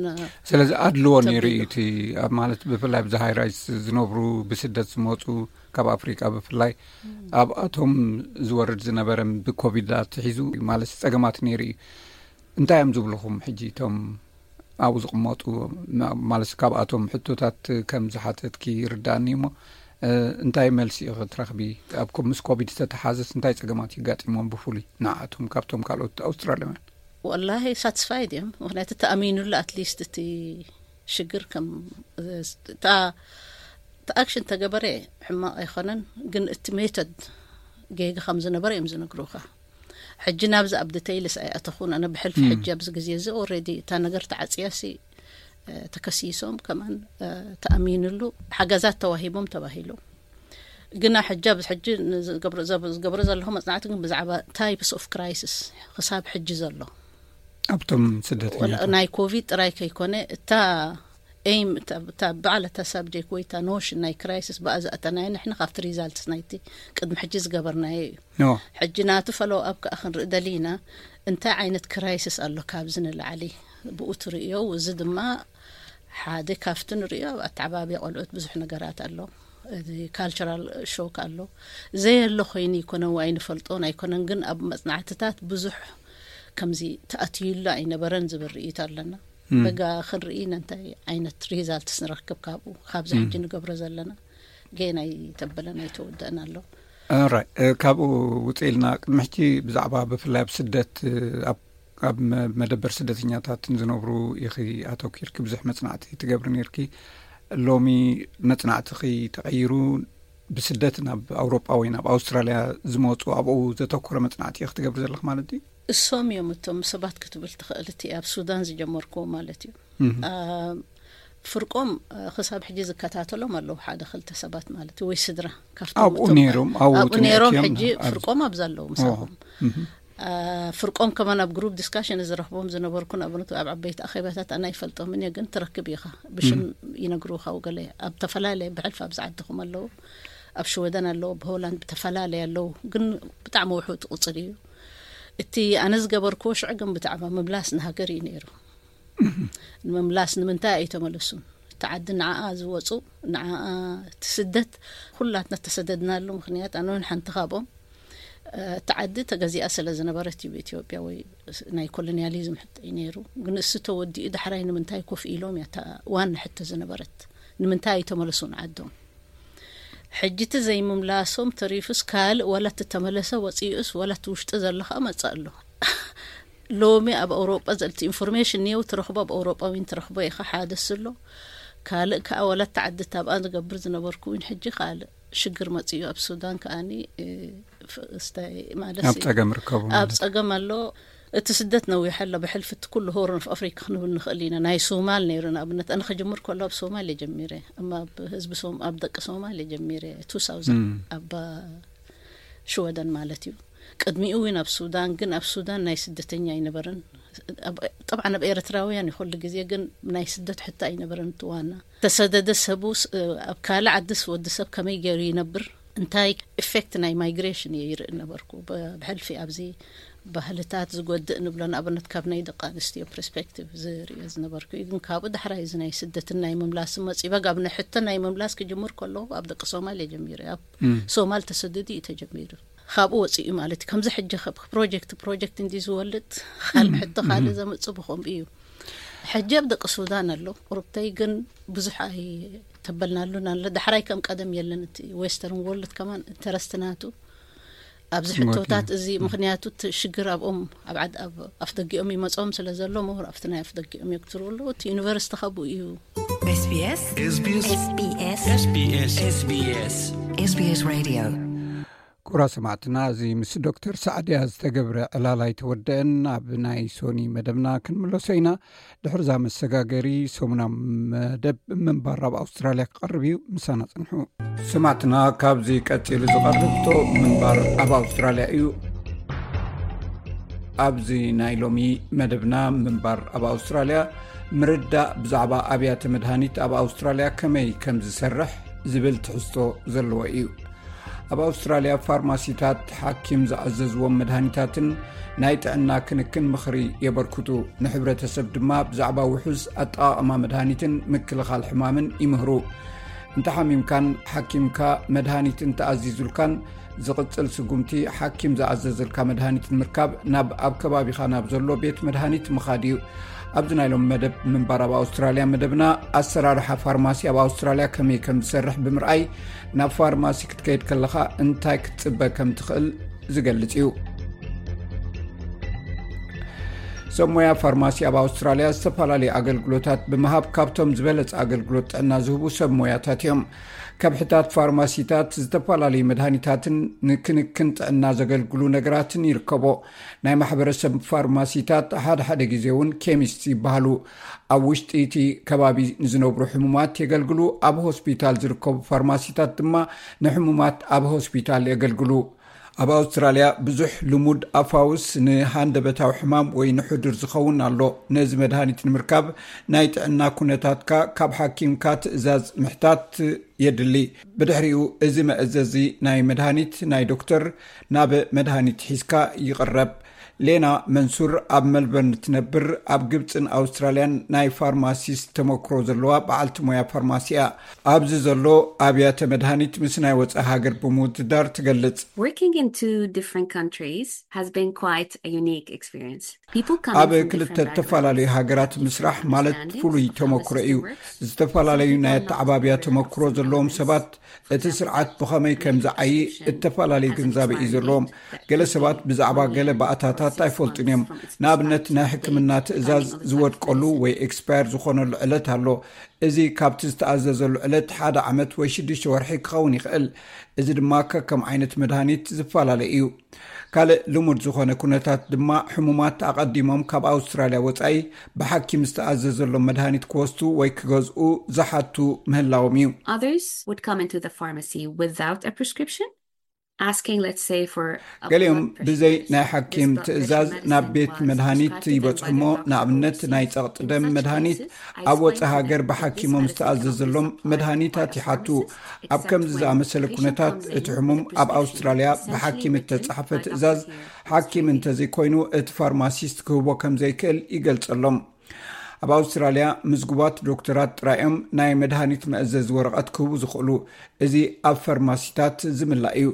ስለዚ ኣድልዎ ነይሩ እዩ። እቲ ኣብ ማለት ብፍላይ ኣብዚ ሃይ ራይዝ ዝነብሩ ብስደት ዝመፁ ካብ ኣፍሪቃ ብፍላይ ኣብኣቶም ዝወርድ ዝነበረ ብኮቪድ ኣትሒዙ ማለት ፀገማት ነይሩ እዩ። እንታይ እዮም ዝብልኹም ሕጂ እቶም ኣብኡ ዝቕመጡ? ማለት ካብኣቶም ሕቶታት ከም ዝሓተትኪ ይርዳእኒ እሞ እንታይ መልሲ ኢኺ ትረኽቢ? ኣብ ምስ ኮቪድ ዝተተሓዘስ እንታይ ፀገማት ይጋጢሞም ብፍሉይ ንዓኣቶም ካብቶም ካልኦት ኣውስትራልያውያን? ወላሂ ሳትስፋይድ እዮም። ምክንያቱ ተኣሚኑሉ ኣትሊስት እቲ ሽግር ከም እቲ ኣክሽን ተገበረ ሕማቕ ኣይኮነን፣ ግን እቲ ሜቶድ ጌጋ ከም ዝነበረ እዮም ዝነግሩኻ። ሕጂ ናብዚ ኣብ ዲቴይልስ ኣይኣተኹን። ኣነ ብሕልፊ ሕጂ ኣብዚ ግዜ እዚ ኦልሬዲ እታ ነገር ተዓፅያሲ ተከሲሶም ከማን ተኣሚንሉ ሓገዛት ተዋሂቦም ተባሂሉ። ግና ሕጂ ኣብዚ ሕጂ ዝገብሮ ዘለኹ መፅናዕቲ ግን ብዛዕባ ታይፕስ ኦፍ ክራይሲስ ክሳብ ሕጂ ዘሎ ኣብቶም ስደተኛታት ናይ ኮቪድ ጥራይ ከይኮነ እታ ኤም እታ በዓል እታ ሳብጀክት ወይ እታ ኖሽን ናይ ክራይሲስ ብኣ ዝኣተናዮ ንሕና ካብቲ ሪዛልትስ ናይቲ ቅድሚ ሕጂ ዝገበርናዮ እዩ። ሕጂ ናቱ ፈሎው ኣፕ ከዓ ክንርኢ ደሊና እንታይ ዓይነት ክራይሲስ ኣሎ ካብዚ ንላዕሊ ብኡ ትርእዮ። እዚ ድማ ሓደ ካብቲ ንርእዮ ኣብ ኣተዓባብያ ቆልዑት ብዙሕ ነገራት ኣሎ። እዚ ካልቸራል ሾክ ኣሎ። ዘየሎ ኮይኑ ይኮነ ወይ ኣይንፈልጦን ኣይኮነን፣ ግን ኣብ መፅናዕትታት ብዙሕ ከምዚ ተኣትዩሉ ኣይነበረን ዝብል ርእይቶ ኣለና። በጋ ክንርኢ ነንታይ ዓይነት ሪዛልትስ ንረክብ ካብኡ ካብዚ ሕጂ ንገብሮ ዘለና ገና ኣይተበለን ኣይተወደእን ኣሎ። ራይ ካብኡ ውፅእ ኢልና ቅድሚ ሕጂ ብዛዕባ ብፍላይ ኣብ ስደት ኣብ መደበር ስደተኛታት ዝነብሩ ኢኺ ኣተኪርኪ ብዙሕ መፅናዕቲ ትገብሪ ነርኪ። ሎሚ መፅናዕትኺ ተቐይሩ ብስደት ናብ ኣውሮጳ ወይ ናብ ኣውስትራልያ ዝመፁ ኣብኡ ዘተኮረ መፅናዕቲ ኢኺ ትገብሪ ዘለኺ ማለት እዩ? እሶም እዮም እቶም ሰባት ክትብል ትኽእል። እቲ ኣብ ሱዳን ዝጀመርኩዎ ማለት እዩ። ፍርቆም ክሳብ ሕጂ ዝከታተሎም ኣለዉ ሓደ ክልተ ሰባት ማለት እዩ፣ ወይ ስድራ ካብቶም ኣብኡ እቶም ነይሮም፣ ኣብኡ ኣብኡ ነይሮም። ጥሚዖም ሕጂ ኣብ- ፍርቆም ኣብዛ ኣለዉ ምሳኹም። ፍርቆም ከማን ኣብ ግሩፕ ዲስካሽን ዝረኽቦም ዝነበርኩ ንኣብነቱ ኣብ ዓበይቲ ኣኼባታት ኣነ ኣይፈልጦምን እየ፣ ግን ትረክብ ኢኻ ብሽም ይነግሩኻ። ገለ ኣብ ተፈላለየ ብሕልፊ ኣብዚ ዓድኹም ኣለዉ፣ ኣብ ሽወደን ኣለዉ፣ ብሆላንድ ብተፈላለየ ኣለዉ፣ ግን ብጣዕሚ ውሑድ ቁፅሪ እዩ። እቲ ኣነ ዝገበርክዎ ሽዑ ግን ብዛዕባ ምምላስ ንሃገር እዩ ነይሩ። ንምምላስ ንምንታይ ኣይተመለሱን? እቲ ዓዲ ንዓኣ ዝወፁ ንዓኣ እቲ ስደት ኩላትና ተሰደድናሉ ምክንያት ኣነ እውን ሓንቲ ካብኦም። እቲ ዓዲ ተገዚኣ ስለ ዝነበረት እዩ ብኢትዮጵያ ወይ ናይ ኮሎኒያሊዝም ሕቶ እዩ ነይሩ። ግን እሱ ተወዲኡ ዳሕራይ ንምንታይ ኮፍ ኢሎም እያ እታ ዋና ሕቶ ዝነበረት። ንምንታይ ኣይተመለሱን ዓዶም? ሕጂ እቲ ዘይምምላሶም ተሪፉስ ካልእ ዋላ እቲ ተመለሰ ወፂኡስ ዋላ እቲ ውሽጢ ዘሎ ከዓ መፅእ ኣሎ። ሎሚ ኣብ ኣውሮጳ ዘልቲ ኢንፎርሜሽን እኒው ትረኽቦ ኣብ ኣውሮጳዊን ትረኽቦ ኢኻ ሓደ ስሎ ካልእ ከዓ ዋላ እቲ ዓዲ ታብኣ ዝገብር ዝነበርኩ እውን ሕጂ ካልእ ሽግር መፅኡ ኣብ ሱዳን ከዓኒ ስታይ ማለት ኣብ ፀገም ርከቡ ኣብ ፀገም ኣሎ። እቲ ስደት ነዊሕ ኣሎ ብሕልፊ እቲ ኩሉ ሆርን ኦፍ ኣፍሪካ ክንብል ንኽእል ኢና። ናይ ሶማል ነይሩ ንኣብነት ኣነ ክጅምር ከሎ ኣብ ሶማል እየ ጀሚረ እማ ኣብ ህዝቢ ሶም ኣብ ደቂ ሶማል እየ ጀሚረ two thousand ኣብ ሽወደን ማለት እዩ። ቅድሚኡ እውን ኣብ ሱዳን፣ ግን ኣብ ሱዳን ናይ ስደተኛ ኣይነበረን። ኣብ- ጠብዓን ኣብ ኤርትራውያን እዩ ኩሉ ግዜ፣ ግን ናይ ስደት ሕቶ ኣይነበረን። እቲ ዋና ተሰደደ ሰቡ ስ- ኣብ ካልእ ዓድስ ወዲ ሰብ ከመይ ገይሩ ይነብር፣ እንታይ ኢፌክት ናይ ማይግሬሽን እየ ይርኢ ነበርኩ። ብ- ብሕልፊ ኣብዚ ባህልታት ዝጎድእ ንብሎ፣ ንኣብነት ካብ ናይ ደቂ ኣንስትዮ ፐርስፔክቲቭ ዝርእዮ ዝነበርኩ እዩ። ግን ካብኡ ዳሕራይ እዚ ናይ ስደትን ናይ ምምላስ መፂ በጋብ ናይ ሕቶ ናይ ምምላስ ክጅምር ከለኹ ኣብ ደቂ ሶማል እየ ጀሚሩ። ኣብ ሶማል ተሰደዱ እዩ ተጀሚሩ። ካብኡ ወፂኡ ማለት እዩ። ከምዚ ሕጂ ከ- ፕሮጀክት ፕሮጀክት እንዲ ዝወልድ ካልእ ሕቶ ካልእ ዘምፅእ ብኸምኡ እዩ። ሕጂ ኣብ ደቂ ሱዳን ኣሎ ቁርብተይ፣ ግን ብዙሕ ኣይተበልናሉን ኣሎ። ዳሕራይ ከም ቀደም የለን። እቲ ዌስተርን ወርልድ ከማን ኢንተረስት ናቱ ኣብዚ ሕቶታት እዚ፣ ምክንያቱ እቲ ሽግር ኣብኦም ኣብ ዓድ- ኣብ ኣፍደጊኦም ይመጾም ስለ ዘሎ፣ ሞር ኣብቲ ናይ ኣፍደጊኦም የግትሩ ኣለዉ። እቲ ዩኒቨርሲቲ ካብኡ እዩ። SBS SBS SBS SBS SBS Radio። ክቡራ ሰማዕትና፣ እዚ ምስ ዶክተር ሳዕድያ ዝተገብረ ዕላል ኣይተወደአን። ኣብ ናይ ሶኒ መደብና ክንምለሶ ኢና። ድሕርዛ መሰጋገሪ ሰሙና መደብ ምንባር ኣብ ኣውስትራልያ ክቐርብ እዩ። ምሳና ጽንሑ። ሰማዕትና፣ ካብዚ ቀጺሉ ዝቐርብ ቶ ምንባር ኣብ ኣውስትራልያ እዩ። ኣብዚ ናይ ሎሚ መደብና ምንባር ኣብ ኣውስትራልያ ምርዳእ ብዛዕባ ኣብያተ መድሃኒት ኣብ ኣውስትራልያ ከመይ ከም ዝሰርሕ ዝብል ትሕዝቶ ዘለዎ እዩ። ኣብ ኣውስትራልያ ፋርማሲታት ሓኪም ዝኣዘዝዎም መድሃኒታትን ናይ ጥዕና ክንክን ምኽሪ የበርክቱ። ንሕብረተሰብ ድማ ብዛዕባ ውሑስ ኣጠቓቕማ መድሃኒትን ምክልኻል ሕማምን ይምህሩ። እንተ ሓሚምካን ሓኪምካ መድሃኒት እንተኣዚዙልካን ዝቕጽል ስጉምቲ ሓኪም ዝኣዘዘልካ መድሃኒት ንምርካብ ናብ ኣብ ከባቢኻ ናብ ዘሎ ቤት መድሃኒት ምኻድ እዩ። ኣብዚ ናይ ሎም መደብ ምንባር ኣብ ኣውስትራልያ መደብና ኣሰራርሓ ፋርማሲ ኣብ ኣውስትራልያ ከመይ ከም ዝሰርሕ ብምርኣይ ናብ ፋርማሲ ክትከይድ ከለኻ እንታይ ክትጽበ ከም ትኽእል ዝገልጽ እዩ። ሰብ ሞያ ፋርማሲ ኣብ ኣውስትራልያ ዝተፈላለዩ ኣገልግሎታት ብምሃብ ካብቶም ዝበለጸ ኣገልግሎት ጥዕና ዝህቡ ሰብ ሞያታት እዮም። ከብሕታት ፋርማሲታት ዝተፈላለዩ መድሃኒታትን ንክንክን ጥዕና ዘገልግሉ ነገራትን ይርከቦ። ናይ ማሕበረሰብ ፋርማሲታት ሓደ ሓደ ግዜ እውን ኬሚስት ይበሃሉ። ኣብ ውሽጢ እቲ ከባቢ ንዝነብሩ ሕሙማት የገልግሉ። ኣብ ሆስፒታል ዝርከቡ ፋርማሲታት ድማ ንሕሙማት ኣብ ሆስፒታል የገልግሉ። ኣብ ኣውስትራልያ ብዙሕ ልሙድ ኣፋውስ ንሃንደበታዊ ሕማም ወይ ንሕዱር ዝኸውን ኣሎ። ነዚ መድሃኒት ንምርካብ ናይ ጥዕና ኩነታትካ ካብ ሓኪምካ ትእዛዝ ምሕታት የድሊ። ብድሕሪኡ እዚ መእዘዚ ናይ መድሃኒት ናይ ዶክተር ናብ መድሃኒት ሒዝካ ይቕረብ። ሌና መንሱር ኣብ መልበርን ትነብር፣ ኣብ ግብፅን ኣውስትራልያን ናይ ፋርማሲስት ተመክሮ ዘለዋ በዓልቲ ሞያ ፋርማሲ እያ። ኣብዚ ዘሎ ኣብያተ መድሃኒት ምስ ናይ ወፃኢ ሃገር ብምውድዳር ትገልጽ። Working in two different countries has been quite a unique experience. ኣብ ክልተ ዝተፈላለዩ ሃገራት ምስራሕ ማለት ፍሉይ ተመክሮ እዩ። ዝተፈላለዩ ናይ ኣተዓባብያ ተመክሮ ዘለዎም ሰባት እቲ ስርዓት ብኸመይ ከም ዝዓዪ እተፈላለየ ግንዛበ እዩ ዘለዎም። ገለ ሰባት ብዛዕባ ገለ ባእታታት ኣይፈልጡን እዮም። ንኣብነት ናይ ሕክምና ትእዛዝ ዝወድቀሉ ወይ ኤክስፓየር ዝኾነሉ ዕለት ኣሎ። እዚ ካብቲ ዝተኣዘዘሉ ዕለት ሓደ ዓመት ወይ ሽዱሽተ ወርሒ ክኸውን ይኽእል። እዚ ድማ ከከም ዓይነት መድሃኒት ዝፈላለ እዩ። ካልእ ልሙድ ዝኾነ ኩነታት ድማ ሕሙማት ኣቐዲሞም ካብ ኣውስትራልያ ወጻኢ ብሓኪም ዝተኣዘዘሎም መድሃኒት ክወስዱ ወይ ክገዝኡ ዝሓቱ ምህላዎም እዩ። Others would come into the pharmacy without a prescription, asking, let's say, for a ገሊኦም blood pressure ብዘይ test. ናይ This ሓኪም blood pressure ትእዛዝ ናብ medicine ቤት was መድሃኒት prescribed to them by ይበጽሑሞ። the doctor or ንኣብነት ናይ C S. ጸቕጢ In ደም such መድሃኒት cases, I ኣብ explained ወጻኢ to ሃገር them that this ብሓኪሞም medicine cannot be ዝተኣዘዘሎም supplied መድሃኒታት by a ይሓቱ። pharmacist ኣብ ከምዚ except ዝኣመሰለ when the patient ኩነታት comes in እቲ with ሕሙም a ኣብ prescription. ኣውስትራልያ Essentially, ብሓኪም written እተጻሕፈ by ትእዛዝ doctor here ሓኪም explaining እንተዘይኮይኑ እቲ ፋርማሲስት ክህቦ ከም ዘይክእል ይገልጸሎም። ኣብ ኣውስትራልያ ምዝጉባት ዶክተራት ጥራዮም ናይ መድሃኒት መእዘዚ ወረቐት ክህቡ ዝኽእሉ። እዚ ኣብ ፋርማሲታት ዝምላእ እዩ።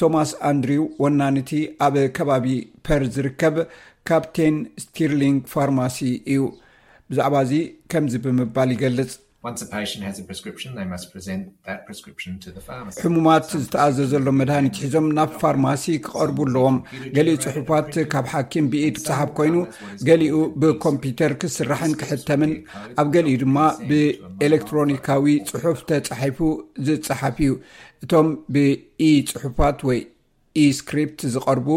ቶማስ ኣንድሪው ወናንቲ ኣብ ከባቢ ፐር ዝርከብ ካፕቴን ስቲርሊንግ ፋርማሲ እዩ። ብዛዕባ እዚ ከምዚ ብምባል ይገልጽ። Once a patient has a prescription, they must present that prescription to the pharmacist. ሕሙማት ዝተኣዘዘሎም መድሃኒት ሒዞም ናብ ፋርማሲ ክቐርቡ ኣለዎም። ገሊኡ ጽሑፋት ካብ ሓኪም ብኢድ ክጸሓፍ ኮይኑ፣ ገሊኡ ብኮምፒውተር ክስራሕን ክሕተምን፣ ኣብ ገሊኡ ድማ ብኤሌክትሮኒካዊ ጽሑፍ ተጻሒፉ ዝጸሓፍ እዩ። እቶም ብኢ ጽሑፋት ወይ ኢ-ስክሪፕት ዝቐርቡ፣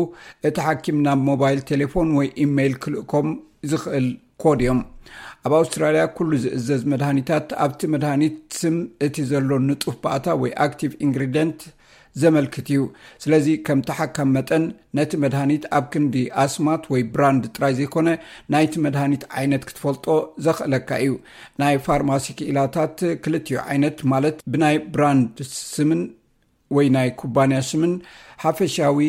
እቲ ሓኪም ናብ ሞባይል ቴሌፎን ወይ ኢሜይል ክልእኮም ዝኽእል ኮድ እዮም። ኣብ ኣውስትራልያ ኩሉ ዝእዘዝ መድሃኒታት ኣብቲ መድሃኒት ስም እቲ ዘሎ ንጡፍ ባእታ ወይ ኣክቲቭ ኢንግሪደንት ዘመልክት እዩ። ስለዚ ከም ተሓካም መጠን ነቲ መድሃኒት ኣብ ክንዲ ኣስማት ወይ ብራንድ ጥራይ ዘይኮነ ናይቲ መድሃኒት ዓይነት ክትፈልጦ ዘኽእለካ እዩ። ናይ ፋርማሲ ክኢላታት ክልቲኡ ዓይነት ማለት ብናይ ብራንድ ስምን ወይ ናይ ኩባንያ ሽምን ሓፈሻዊ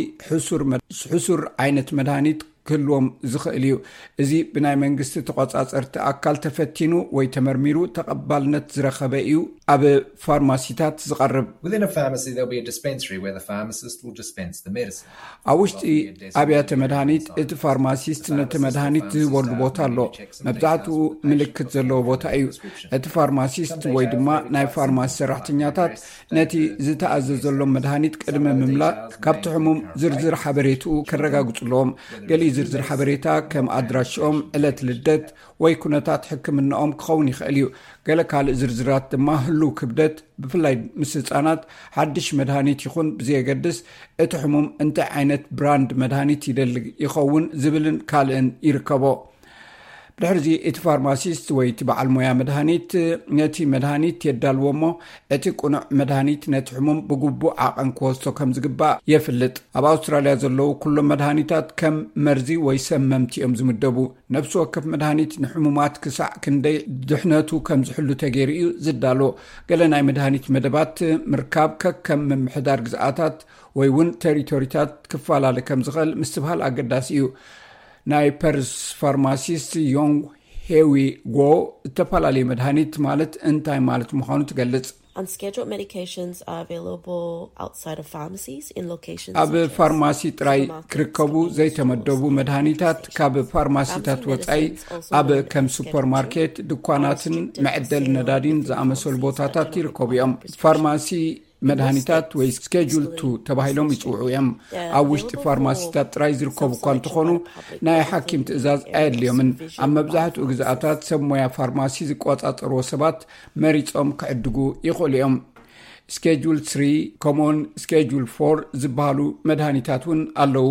ሕሱር ዓይነት መድሃኒት ክህልዎም ዝኽእል እዩ። እዚ ብናይ መንግስቲ ተቆጻጸርቲ ኣካል ተፈቲኑ ወይ ተመርሚሩ ተቐባልነት ዝረኸበ እዩ ኣብ ፋርማሲታት ዝቐርብ። ኣብ ውሽጢ ኣብያተ መድሃኒት እቲ ፋርማሲስት ነቲ መድሃኒት ዝህበሉ ቦታ ኣሎ። መብዛሕትኡ ምልክት ዘለዎ ቦታ እዩ። እቲ ፋርማሲስት ወይ ድማ ናይ ፋርማሲ ሰራሕተኛታት ነቲ ዝተኣዘዘሎም መድሃኒት ቅድሚ ምምላእ ካብቲ ሕሙም ዝርዝር ሓበሬትኡ ከረጋግጹ ኣለዎም። ገሊኡ ዝርዝር ሓበሬታ ከም ኣድራሽኦም፣ ዕለት ልደት ወይ ኩነታት ሕክምናኦም ክኸውን ይኽእል እዩ። ገለ ካልእ ዝርዝራት ድማ ህሉው ክብደት፣ ብፍላይ ምስ ህጻናት፣ ሓድሽ መድሃኒት ይኹን ብዘየገድስ እቲ ሕሙም እንታይ ዓይነት ብራንድ መድሃኒት ይደሊ ይኸውን ዝብልን ካልእን ይርከቦ። ብድሕርዚ እቲ ፋርማሲስት ወይ እቲ በዓል ሞያ መድሃኒት ነቲ መድሃኒት የዳልዎ እሞ እቲ ቅኑዕ መድሃኒት ነቲ ሕሙም ብግቡእ ዓቐን ክወስዶ ከም ዝግባእ የፍልጥ። ኣብ ኣውስትራልያ ዘለዉ ኩሎም መድሃኒታት ከም መርዚ ወይ ሰመምቲ እዮም ዝምደቡ። ነፍሲ ወከፍ መድሃኒት ንሕሙማት ክሳዕ ክንደይ ድሕነቱ ከም ዝሕሉ ተገይሩ እዩ ዝዳሎ። ገለ ናይ መድሃኒት መደባት ምርካብ ከከም ምምሕዳር ግዝኣታት ወይ እውን ተሪቶሪታት ክፈላለ ከም ዝኽእል ምስትብሃል ኣገዳሲ እዩ። ናይ ፐርስ ፋርማሲስት ዮንግ ሄዊ ጎ እተፈላለየ መድሃኒት ማለት እንታይ ማለት ምዃኑ ትገልጽ። Unscheduled medications are available outside of pharmacies in locations ኣብ such as ፋርማሲ ጥራይ supermarkets, ክርከቡ convenience ዘይተመደቡ stores, መድሃኒታት ካብ ፋርማሲታት Pharmacy ወጻኢ medicines, also ኣብ known ከም as Schedule ሱፐርማርኬት፣ two, ድኳናትን are restricted to መዕደሊ sale ነዳዲን within ዝኣመሰሉ pharmacies ቦታታት that do not ይርከቡ require እዮም። prescription. ፋርማሲ መድሃኒታት ወይ ስኬጁል ቱ ተባሂሎም ይጽውዑ እዮም። ኣብ ውሽጢ ፋርማሲታት ጥራይ ዝርከቡ እኳ እንተኾኑ፣ ናይ ሓኪም ትእዛዝ ኣየድልዮምን። ኣብ መብዛሕትኡ ግዝኣታት ሰብ ሞያ ፋርማሲ ዝቆጻጸርዎ ሰባት መሪጾም ክዕድጉ ይኽእሉ እዮም። ስኬጁል ስሪ፣ ከምኡውን ስኬጁል ፎር ዝበሃሉ መድሃኒታት እውን ኣለዉ።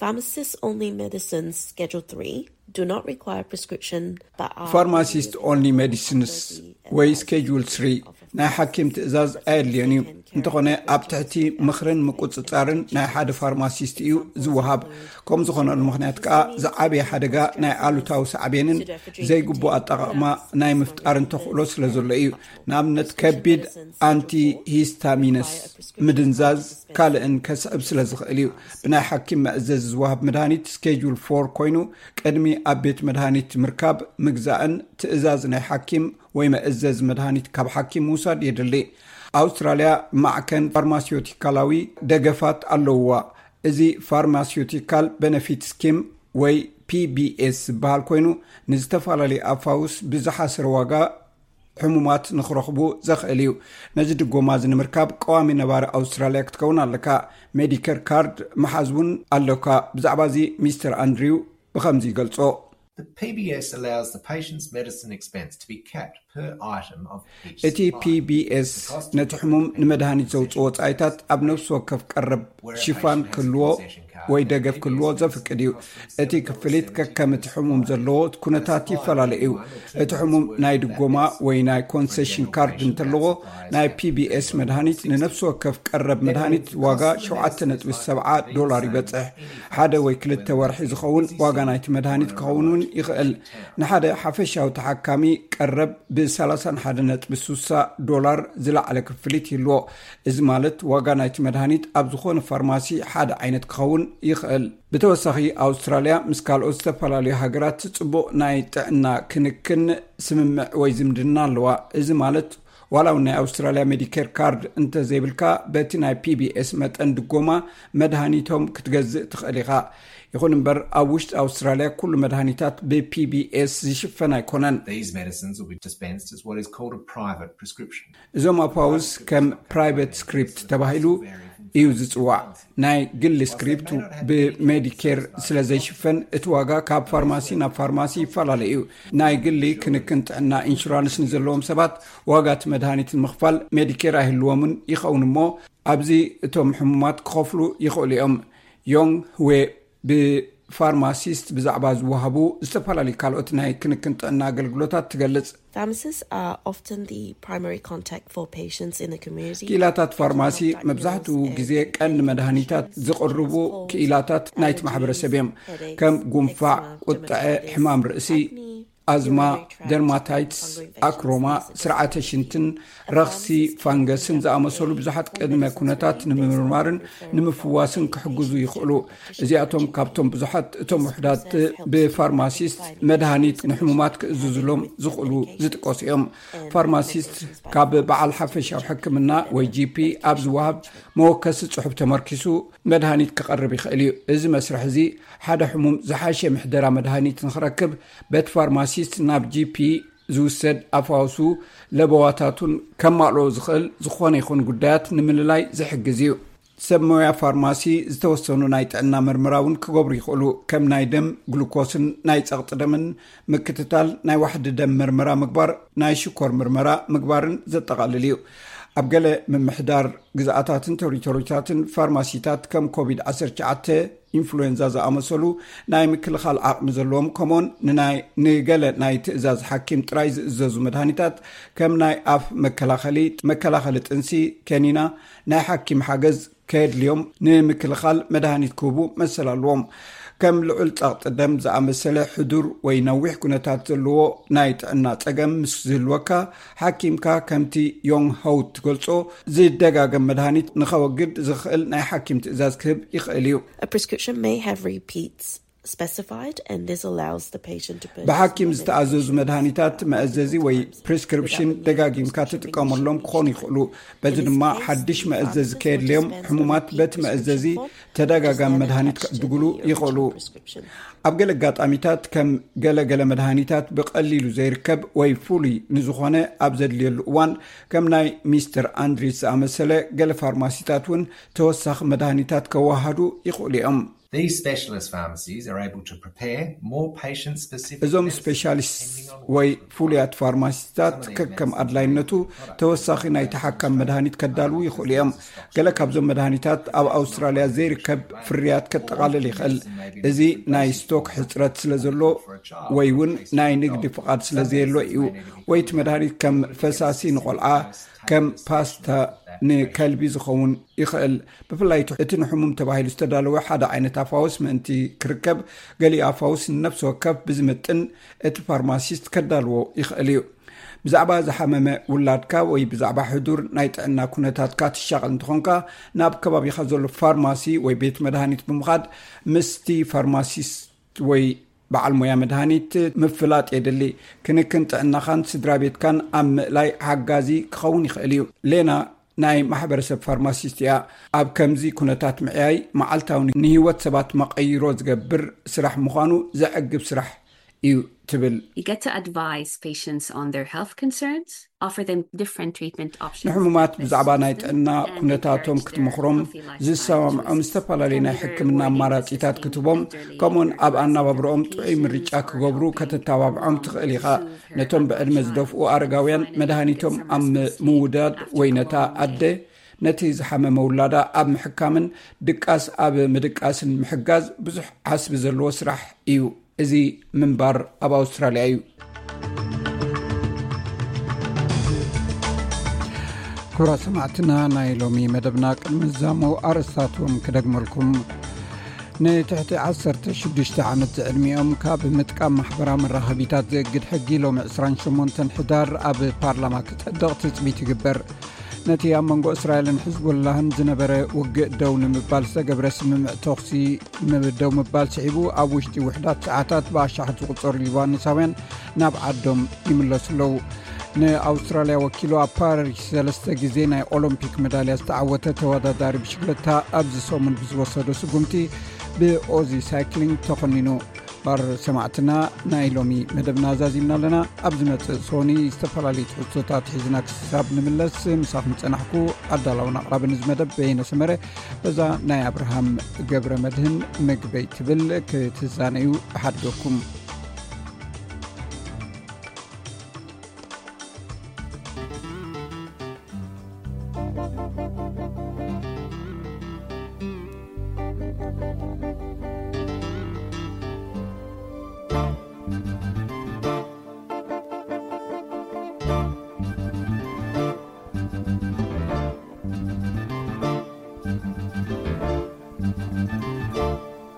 Pharmacist only medicines Schedule three do not require prescription, but are ፋርማሲስት ኦንሊ ሜዲሲንስ ወይ ስኬጁል ስሪ ናይ ሓኪም ትእዛዝ ኣየድልዮን እዩ። እንተኾነ ኣብ ትሕቲ ምኽርን ምቁጽጻርን ናይ ሓደ ፋርማሲስት እዩ ዝወሃብ። ከም ዝኾነሉ ምኽንያት ከኣ ዝዓበየ ሓደጋ ናይ ኣሉታዊ ሳዕቤንን ዘይግቡእ ኣጠቓቕማ ናይ ምፍጣርን ተኽእሎ ስለ ዘሎ እዩ። ንኣብነት ከቢድ ኣንቲ ሂስታሚነስ ምድንዛዝ ካልእን ከስዕብ ስለ ዝኽእል እዩ። ብናይ ሓኪም መእዘዚ ዝወሃብ መድሃኒት ስኬጁል ፎር ኮይኑ ቅድሚ ኣብ ቤት መድሃኒት ምርካብ ምግዛእን ትእዛዝ ናይ ሓኪም ወይ መእዘዚ መድሃኒት ካብ ሓኪም ምውሳድ የድሊ። ኣውስትራልያ ማዕከን ፋርማሲዮቲካላዊ ደገፋት ኣለውዋ። እዚ ፋርማሲዮቲካል ቤነፊት ስኪም ወይ ፒ ቢ ኤስ ዝበሃል ኮይኑ ንዝተፈላለዩ ኣፋውስ ብዝሓሰረ ዋጋ ሕሙማት ንኽረኽቡ ዘኽእል እዩ። ነዚ ድጎማ እዚ ንምርካብ ቀዋሚ ነባሪ ኣውስትራልያ ክትከውን ኣለካ። ሜዲከር ካርድ መሓዝ እውን ኣለካ። ብዛዕባ እዚ ሚስተር ኣንድሪው ብኸምዚ ይገልጾ። The P B S allows the patient's medicine expense to be capped per item of each እቲ supply. ፒ ቢ ኤስ ነቲ ሕሙም ንመድሃኒት ዘውፅኦ ወፃኢታት ኣብ ነፍሲ ወከፍ ቀረብ ሽፋን ክህልዎ ወይ ደገፍ ክህልዎ ዘፍቅድ እዩ። እቲ ክፍሊት ከከም እቲ ሕሙም ዘለዎ ኩነታት ይፈላለ እዩ። እቲ ሕሙም ናይ ድጎማ ወይ ናይ ኮንሴሽን ካርድ እንተለዎ፣ ናይ ፒ ቢ ኤስ መድሃኒት ንነፍሲ ወከፍ ቀረብ መድሃኒት ዋጋ ሸውዓተ ነጥቢ ሰብዓ ዶላር ይበጽሕ። ሓደ ወይ ክልተ ወርሒ ዝኸውን ዋጋ ናይቲ መድሃኒት ክኸውን እውን ይኽእል። ንሓደ ሓፈሻዊ ተሓካሚ ቀረብ ብ ሰላሳ ሓደ ነጥቢ ስሳ ዶላር ዝለዓለ ክፍሊት ይህልዎ። እዚ ማለት ዋጋ ናይቲ መድሃኒት ኣብ ዝኾነ ፋርማሲ ሓደ ዓይነት ክኸውን ይኽእል። ብተወሳኺ ኣውስትራልያ ምስ ካልኦት ዝተፈላለዩ ሃገራት ጽቡቕ ናይ ጥዕና ክንክን ስምምዕ ወይ ዝምድና ኣለዋ። እዚ ማለት ዋላ እውን ናይ ኣውስትራልያ ሜዲኬር ካርድ እንተዘይብልካ በቲ ናይ ፒ ቢ ኤስ መጠን ድጎማ መድሃኒቶም ክትገዝእ ትኽእል ኢኻ። ይኹን እምበር ኣብ ውሽጢ ኣውስትራልያ ኩሉ መድሃኒታት ብ ፒ ቢ ኤስ ዝሽፈን ኣይኮነን። These medicines will be dispensed as what is called a private prescription. እዞም ኣፋውስ ከም ፕራይቬት ስክሪፕት ተባሂሉ እዩ ዝጽዋዕ። ናይ ግሊ ስክሪፕት ብሜዲኬር ስለ ዘይሽፈን እቲ ዋጋ ካብ ፋርማሲ ናብ ፋርማሲ ይፈላለ እዩ። ናይ ግሊ ክንክን ጥዕና ኢንሹራንስ ንዘለዎም ሰባት ዋጋ እቲ መድሃኒት ንምኽፋል ሜዲኬር ኣይህልዎምን ይኸውን እሞ ኣብዚ እቶም ሕሙማት ክኸፍሉ ይኽእሉ እዮም። ዮንግ ህዌ ብ ፋርማሲስት ብዛዕባ ዝወሃቡ ዝተፈላለዩ ካልኦት ናይ ክንክን ጥዕና ኣገልግሎታት ትገልጽ። Pharmacists are often the primary contact for patients in the community. ክኢላታት ፋርማሲ መብዛሕትኡ ግዜ ቀንዲ መድሃኒታት ዝቕርቡ ክኢላታት ናይቲ ማሕበረሰብ እዮም። ከም ጉንፋዕ፣ ቁጥዐ፣ ሕማም ርእሲ፣ ኣዝማ፣ ደርማታይትስ፣ ኣክሮማ፣ ስርዓተ ሽንትን ረኽሲ ፋንገስን ዝኣመሰሉ ብዙሓት ቅድመ ኩነታት ንምምርማርን ንምፍዋስን ክሕግዙ ይኽእሉ። እዚኣቶም ካብቶም ብዙሓት እቶም ውሕዳት ብፋርማሲስት መድሃኒት ንሕሙማት ክእዝዙሎም ዝኽእሉ ዝጥቀሱ እዮም። ፋርማሲስት ካብ በዓል ሓፈሻዊ ሕክምና ወይ ጂ ፒ ኣብ ዝወሃብ መወከሲ ጽሑፍ ተመርኪሱ መድሃኒት ክቐርብ ይኽእል እዩ። እዚ መስርሕ እዚ ሓደ ሕሙም ዝሓሸ ምሕደራ መድሃኒት ንኽረክብ በቲ ፋርማሲስት ናብ ጂ ፒ ዝውሰድ ኣፋውሱ ለበዋታቱን ከማልኦ ዝኽእል ዝኾነ ይኹን ጉዳያት ንምልላይ ዝሕግዝ እዩ። ሰብ ሞያ ፋርማሲ ዝተወሰኑ ናይ ጥዕና መርመራ እውን ክገብሩ ይኽእሉ። ከም ናይ ደም ግሉኮስን ናይ ጸቕጢ ደምን ምክትታል፣ ናይ ዋሕዲ ደም መርመራ ምግባር፣ ናይ ሽኮር መርመራ ምግባርን ዘጠቓልል እዩ። ኣብ ገለ ምምሕዳር ግዝኣታትን ቴሪቶሪታትን ፋርማሲታት ከም ኮቪድ ዓሰርተ ትሽዓተ፣ ኢንፍሉዌንዛ ዝኣመሰሉ ናይ ምክልኻል ዓቕሚ ዘለዎም፣ ከምኡውን ንናይ ንገለ ናይ ትእዛዝ ሓኪም ጥራይ ዝእዘዙ መድሃኒታት ከም ናይ ኣፍ መከላኸሊ፣ መከላኸሊ ጥንሲ፣ ከኒና፣ ናይ ሓኪም ሓገዝ ከየድልዮም ንምክልኻል መድሃኒት ክህቡ መሰል ኣለዎም። ከም ልዑል ጸቕጢ ደም ዝኣመሰለ ሕዱር ወይ ነዊሕ ኩነታት ዘለዎ ናይ ጥዕና ጸገም ምስ ዝህልወካ፣ ሓኪምካ ከምቲ ዮንግ ሆው ትገልጾ ዝደጋገም መድሃኒት ንኸወግድ ዝኽእል ናይ ሓኪም ትእዛዝ ክህብ ይኽእል እዩ። A prescription may have repeats specified, and this allows the patient to purchase ብሓኪም more ዝተኣዘዙ medication. መድሃኒታት መእዘዚ ወይ ፕሪስክሪፕሽን ደጋጊምካ ትጥቀመሎም ክኾኑ ይኽእሉ። በዚ ድማ ሓድሽ መእዘዚ ከየድልዮም ሕሙማት በቲ መእዘዚ ተደጋጋሚ መድሃኒት ክዕድጉሉ ይኽእሉ። ኣብ ገለ ኣጋጣሚታት ከም ገለ ገለ መድሃኒታት ብቐሊሉ ዘይርከብ ወይ ፍሉይ ንዝኾነ ኣብ ዘድልየሉ እዋን፣ ከም ናይ ሚስተር ኣንድሪስ ዝኣመሰለ ገለ ፋርማሲታት እውን ተወሳኺ መድሃኒታት ከወሃዱ ይኽእሉ እዮም። These specialist pharmacies are able to prepare more patient specific እዞም ስፔሻሊስት ወይ ፍሉያት ፋርማሲታት ከከም ኣድላይነቱ ተወሳኺ ናይ ተሓካም መድሃኒት ከዳልዉ ይኽእሉ እዮም። ገለ ካብዞም መድሃኒታት ኣብ ኣውስትራልያ ዘይርከብ ፍርያት ከጠቓልል ይኽእል። እዚ ናይ ስቶክ ሕጽረት ስለ ዘሎ ወይ እውን ናይ ንግዲ ፍቓድ ስለ ዘየሎ እዩ። ወይ እቲ መድሃኒት ከም ፈሳሲ ንቆልዓ፣ ከም ፓስታ ንከልቢ ዝኸውን ይኽእል። ብፍላይ እቲ ንሕሙም ተባሂሉ ዝተዳለወ ሓደ ዓይነት ኣፋውስ ምእንቲ ክርከብ፣ ገሊኡ ኣፋውስ ንነፍሲ ወከፍ ብዝምጥን እቲ ፋርማሲስት ከዳልዎ ይኽእል እዩ። ብዛዕባ ዝሓመመ ውላድካ ወይ ብዛዕባ ሕዱር ናይ ጥዕና ኩነታትካ ትሻቐል እንተኾንካ፣ ናብ ከባቢኻ ዘሎ ፋርማሲ ወይ ቤት መድሃኒት ብምኻድ ምስቲ ፋርማሲስት ወይ በዓል ሞያ መድሃኒት ምፍላጥ የድሊ። ክንክን ጥዕናኻን ስድራ ቤትካን ኣብ ምእላይ ሓጋዚ ክኸውን ይኽእል እዩ። ሌና ናይ ማሕበረሰብ ፋርማሲስት እያ። ኣብ ከምዚ ኩነታት ምዕያይ መዓልታዊ ንህይወት ሰባት መቐይሮ ዝገብር ስራሕ ምዃኑ ዘዕግብ ስራሕ እዩ ትብል። You get to advise patients on their health concerns, offer them different treatment options. ንሕሙማት ብዛዕባ ናይ ጥዕና ኩነታቶም ክትምኽሮም፣ ዝሰማምዖም ዝተፈላለዩ ናይ ሕክምና ኣማራጺታት ክትቦም፣ ከምኡን ኣብ ኣናባብረኦም ጥዑይ ምርጫ ክገብሩ ከተተባብዖም ትኽእል ኢኻ። ነቶም ብዕድመ ዝደፍኡ ኣረጋውያን መድሃኒቶም ኣብ ምውዳድ ወይ ነታ ኣደ ነቲ ዝሓመመ ውላዳ ኣብ ምሕካምን ድቃስ ኣብ ምድቃስን ምሕጋዝ ብዙሕ ዓስቢ ዘለዎ ስራሕ እዩ። እዚ ምንባር ኣብ ኣውስትራልያ እዩ። ክቡራት ሰማዕትና፣ ናይ ሎሚ መደብና ቅድሚ ዛሞ ኣርእስታትዎም ክደግመልኩም። ንትሕቲ ዓሰርተ ሽዱሽተ ዓመት ዝዕድሚኦም ካብ ምጥቃም ማሕበራዊ መራኸቢታት ዘእግድ ሕጊ ሎሚ ዕስራን ሸሞንተን ሕዳር ኣብ ፓርላማ ክጸድቕ ትጽቢት ይግበር። ነቲ ኣብ መንጎ እስራኤልን ሕዝቦላህን ዝነበረ ውግእ ደው ንምባል ዝተገብረ ስምምዕ ተኹሲ ደው ምባል ስዒቡ፣ ኣብ ውሽጢ ውሕዳት ሰዓታት ብኣሻሓት ዝቑጸሩ ሊባኖሳውያን ናብ ዓዶም ይምለሱ ኣለዉ። ንኣውስትራልያ ወኪሉ ኣብ ፓሪስ ሰለስተ ግዜ ናይ ኦሎምፒክ መዳልያ ዝተዓወተ ተወዳዳሪ ብሽክለታ ኣብዚ ሰሙን ብዝወሰዶ ስጉምቲ ብኦዚ ሳይክሊንግ ተኾኒኑ። ባር ሰማዕትና፣ ናይ ሎሚ መደብና ዛዚምና ኣለና። ኣብ ዝመጽእ ሶኒ ዝተፈላለዩ ትሕዝቶታት ሒዝና ክሳብ ንምለስ፣ ምሳኹም ጸናሕኩ። ኣዳላውን ኣቕራብን እዚ መደብ በየነ ሰመረ። በዛ ናይ ኣብርሃም ገብረ መድህን ምግበይ ትብል ክትዛነዩ እሓድገኩም።